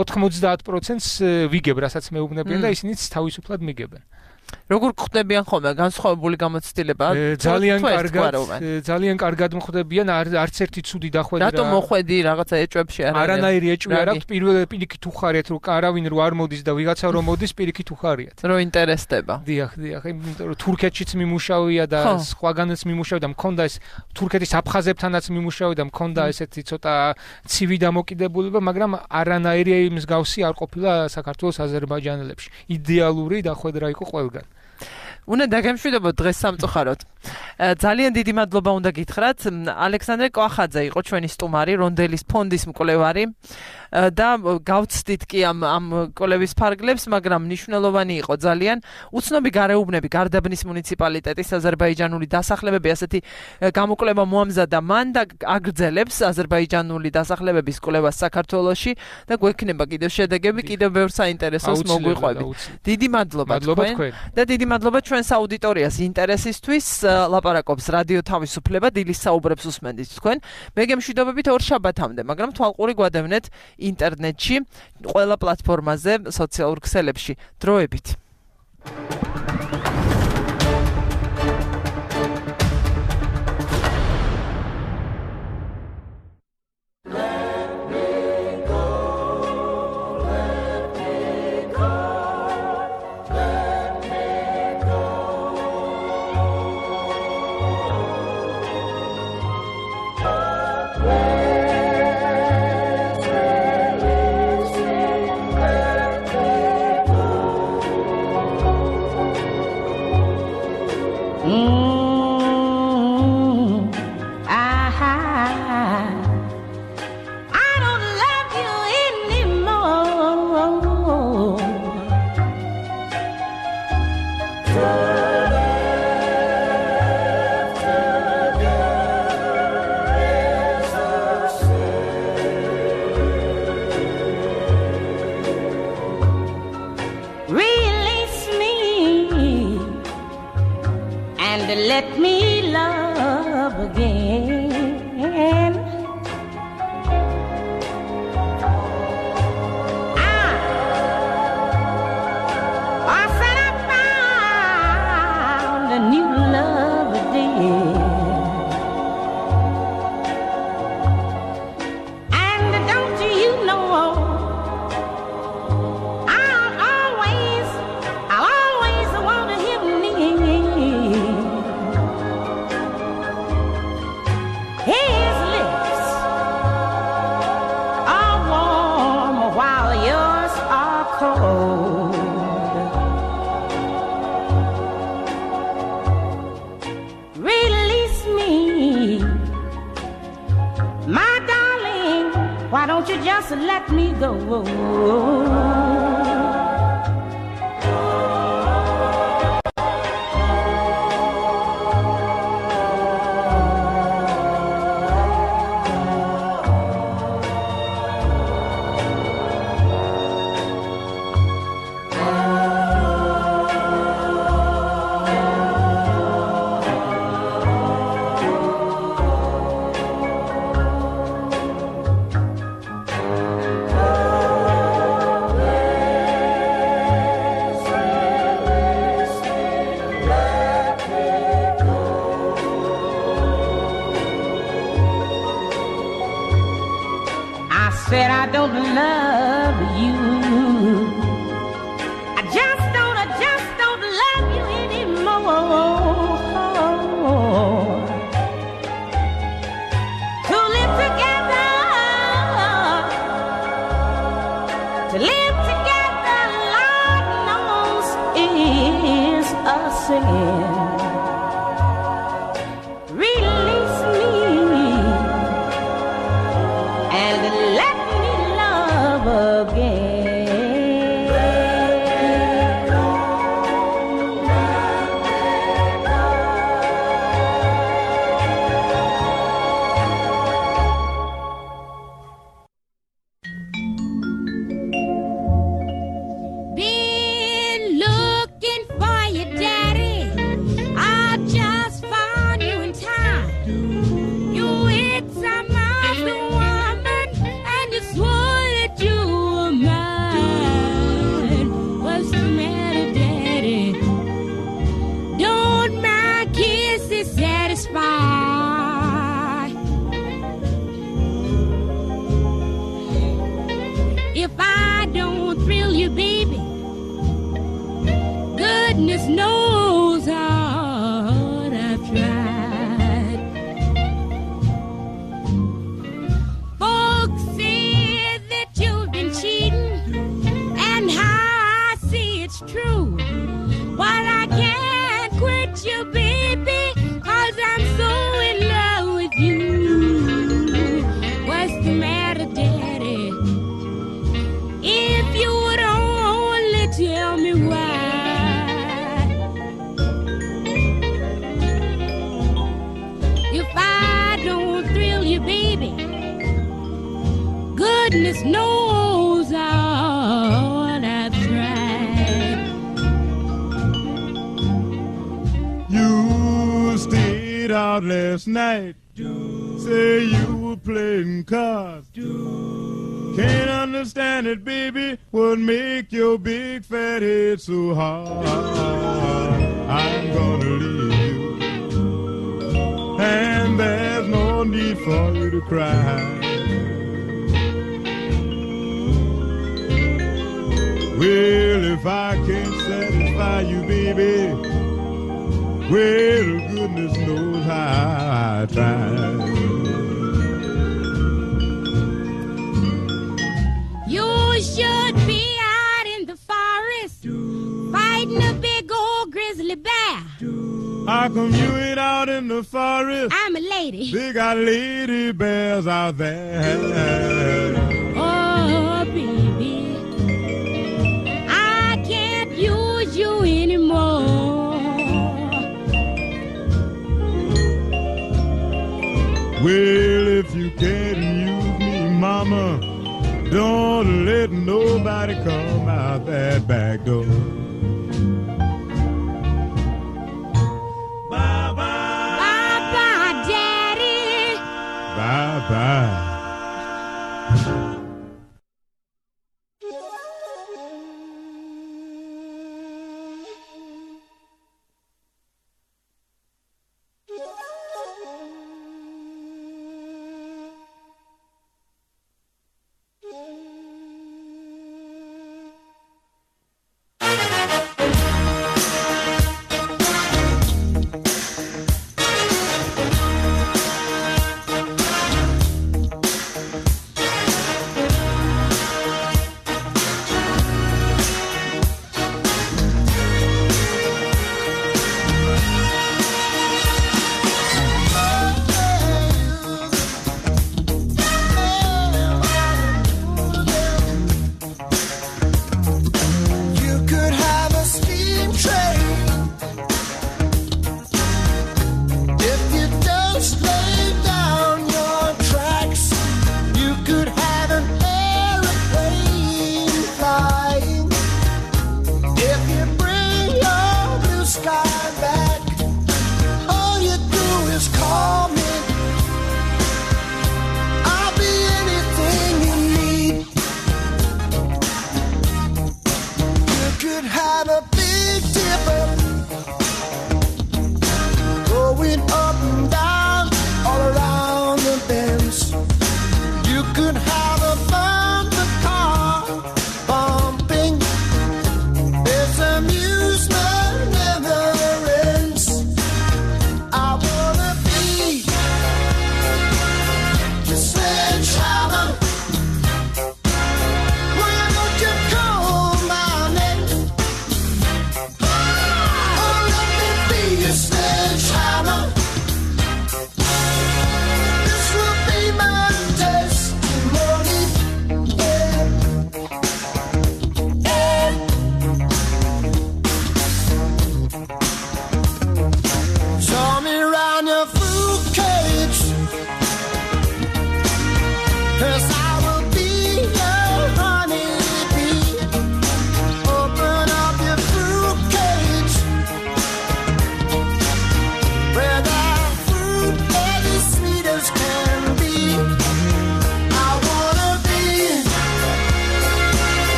ოთხმოცდაათ პროცენტს ვიგებ რასაც მეუბნებიან და ისინიც თავისუფლად მიგებენ როგორ ხდებიან ხოლმე განსხვავებული გამოცდილება ძალიან კარგად ძალიან კარგად მოხდებიან არც ერთი ცუდი დახვედი რატომ მოხვედი რაღაცა ეჭვებში არ არის არანაირი ეჭვი არ აქვს პირველ პირიქით უხარიათ რომ არავინ რო არ მოდის და ვიღაცა რო მოდის პირიქით უხარიათ რო ინტერესდება დიახ დიახ იმიტომ რომ თურქეთშიც მიმუშავია და სხვაგანაც მიმუშავდა მქონდა ეს თურქეთის აფხაზებთანაც მიმუშავდა და მქონდა ესეთი ცოტა ცივი დამოკიდებულება მაგრამ არანაირი მსგავსი არ ყოფილა საქართველოს აზერბაიჯანელებში იდეალური დახვედრა იყო ყველგან უნდა დაგემშვიდობოთ დღეს სამწუხაროდ. ძალიან დიდი მადლობა უნდა გითხრათ. ალექსანდრე კვახაძე იყო ჩვენი სტუმარი, რონდელის ფონდის მკვლევარი და გავცდით კი ამ ამ კოლევის ფარგლებს, მაგრამ მნიშვნელოვანი იყო ძალიან. უცნობი გარეუბნები გარდაბნის მუნიციპალიტეტის აზერბაიჯანული დასახლებები ასეთი გამოკვლევა მოამზადა მან და აგრძელებს აზერბაიჯანული დასახლებების კვლევას საქართველოში და გვექნება კიდევ შედეგები, კიდევ ბევრ საინტერესოს მოგვიყვებით. დიდი მადლობა თქვენ და დიდი მადლობა ჩვენს აუდიტორიას ინტერესისთვის. ლაპარაკობს რადიო თავისუფლება, დილის საუბრებს უსმენთ თქვენ. მე გემშვიდობებით ორ შაბათამდე, მაგრამ თვალყური გვადევნეთ ინტერნეტში, ყველა პლატფორმაზე, სოციალურ ქსელებში. დროებით. Let me love again. Ah, I said I found a new love again. And don't you know, I'll always, I'll always want to hear me. His lips are warm while yours are cold. Release me, my darling. Why don't you just let me go? said I don't love you. I just don't, I just don't love you anymore. To live together, to live together, Lord knows is a sin. Release me and let me love again. Been looking for you, Daddy. I just found you in time. You hit some other woman and you swore that you were mine. What's the matter, Daddy? Don't my kisses satisfy? If I don't thrill you, baby, goodness knows how hard I've tried. Folks say that you've been cheating, and how I see it's true. But I can't quit you, baby, 'cause I'm so in love with you. What's the matter, Daddy? If you would only tell me why. If I don't thrill you, baby, goodness knows how hard I've tried. You stayed out last night. Say you were playing cards. Can't understand it, baby. What make your big fat head so hard? I'm gonna leave you, and there's no need for you to cry. Well, if I can't satisfy you, baby, well, goodness knows how I tried. You should be out in the forest fighting a big old grizzly bear. How come you ain't out in the forest? I'm a lady. They got lady bears out there. Oh, baby, I can't use you anymore. Well, if you can't use me, mama, don't let nobody come out that back door. Bye-bye. Bye-bye, Daddy. Bye-bye.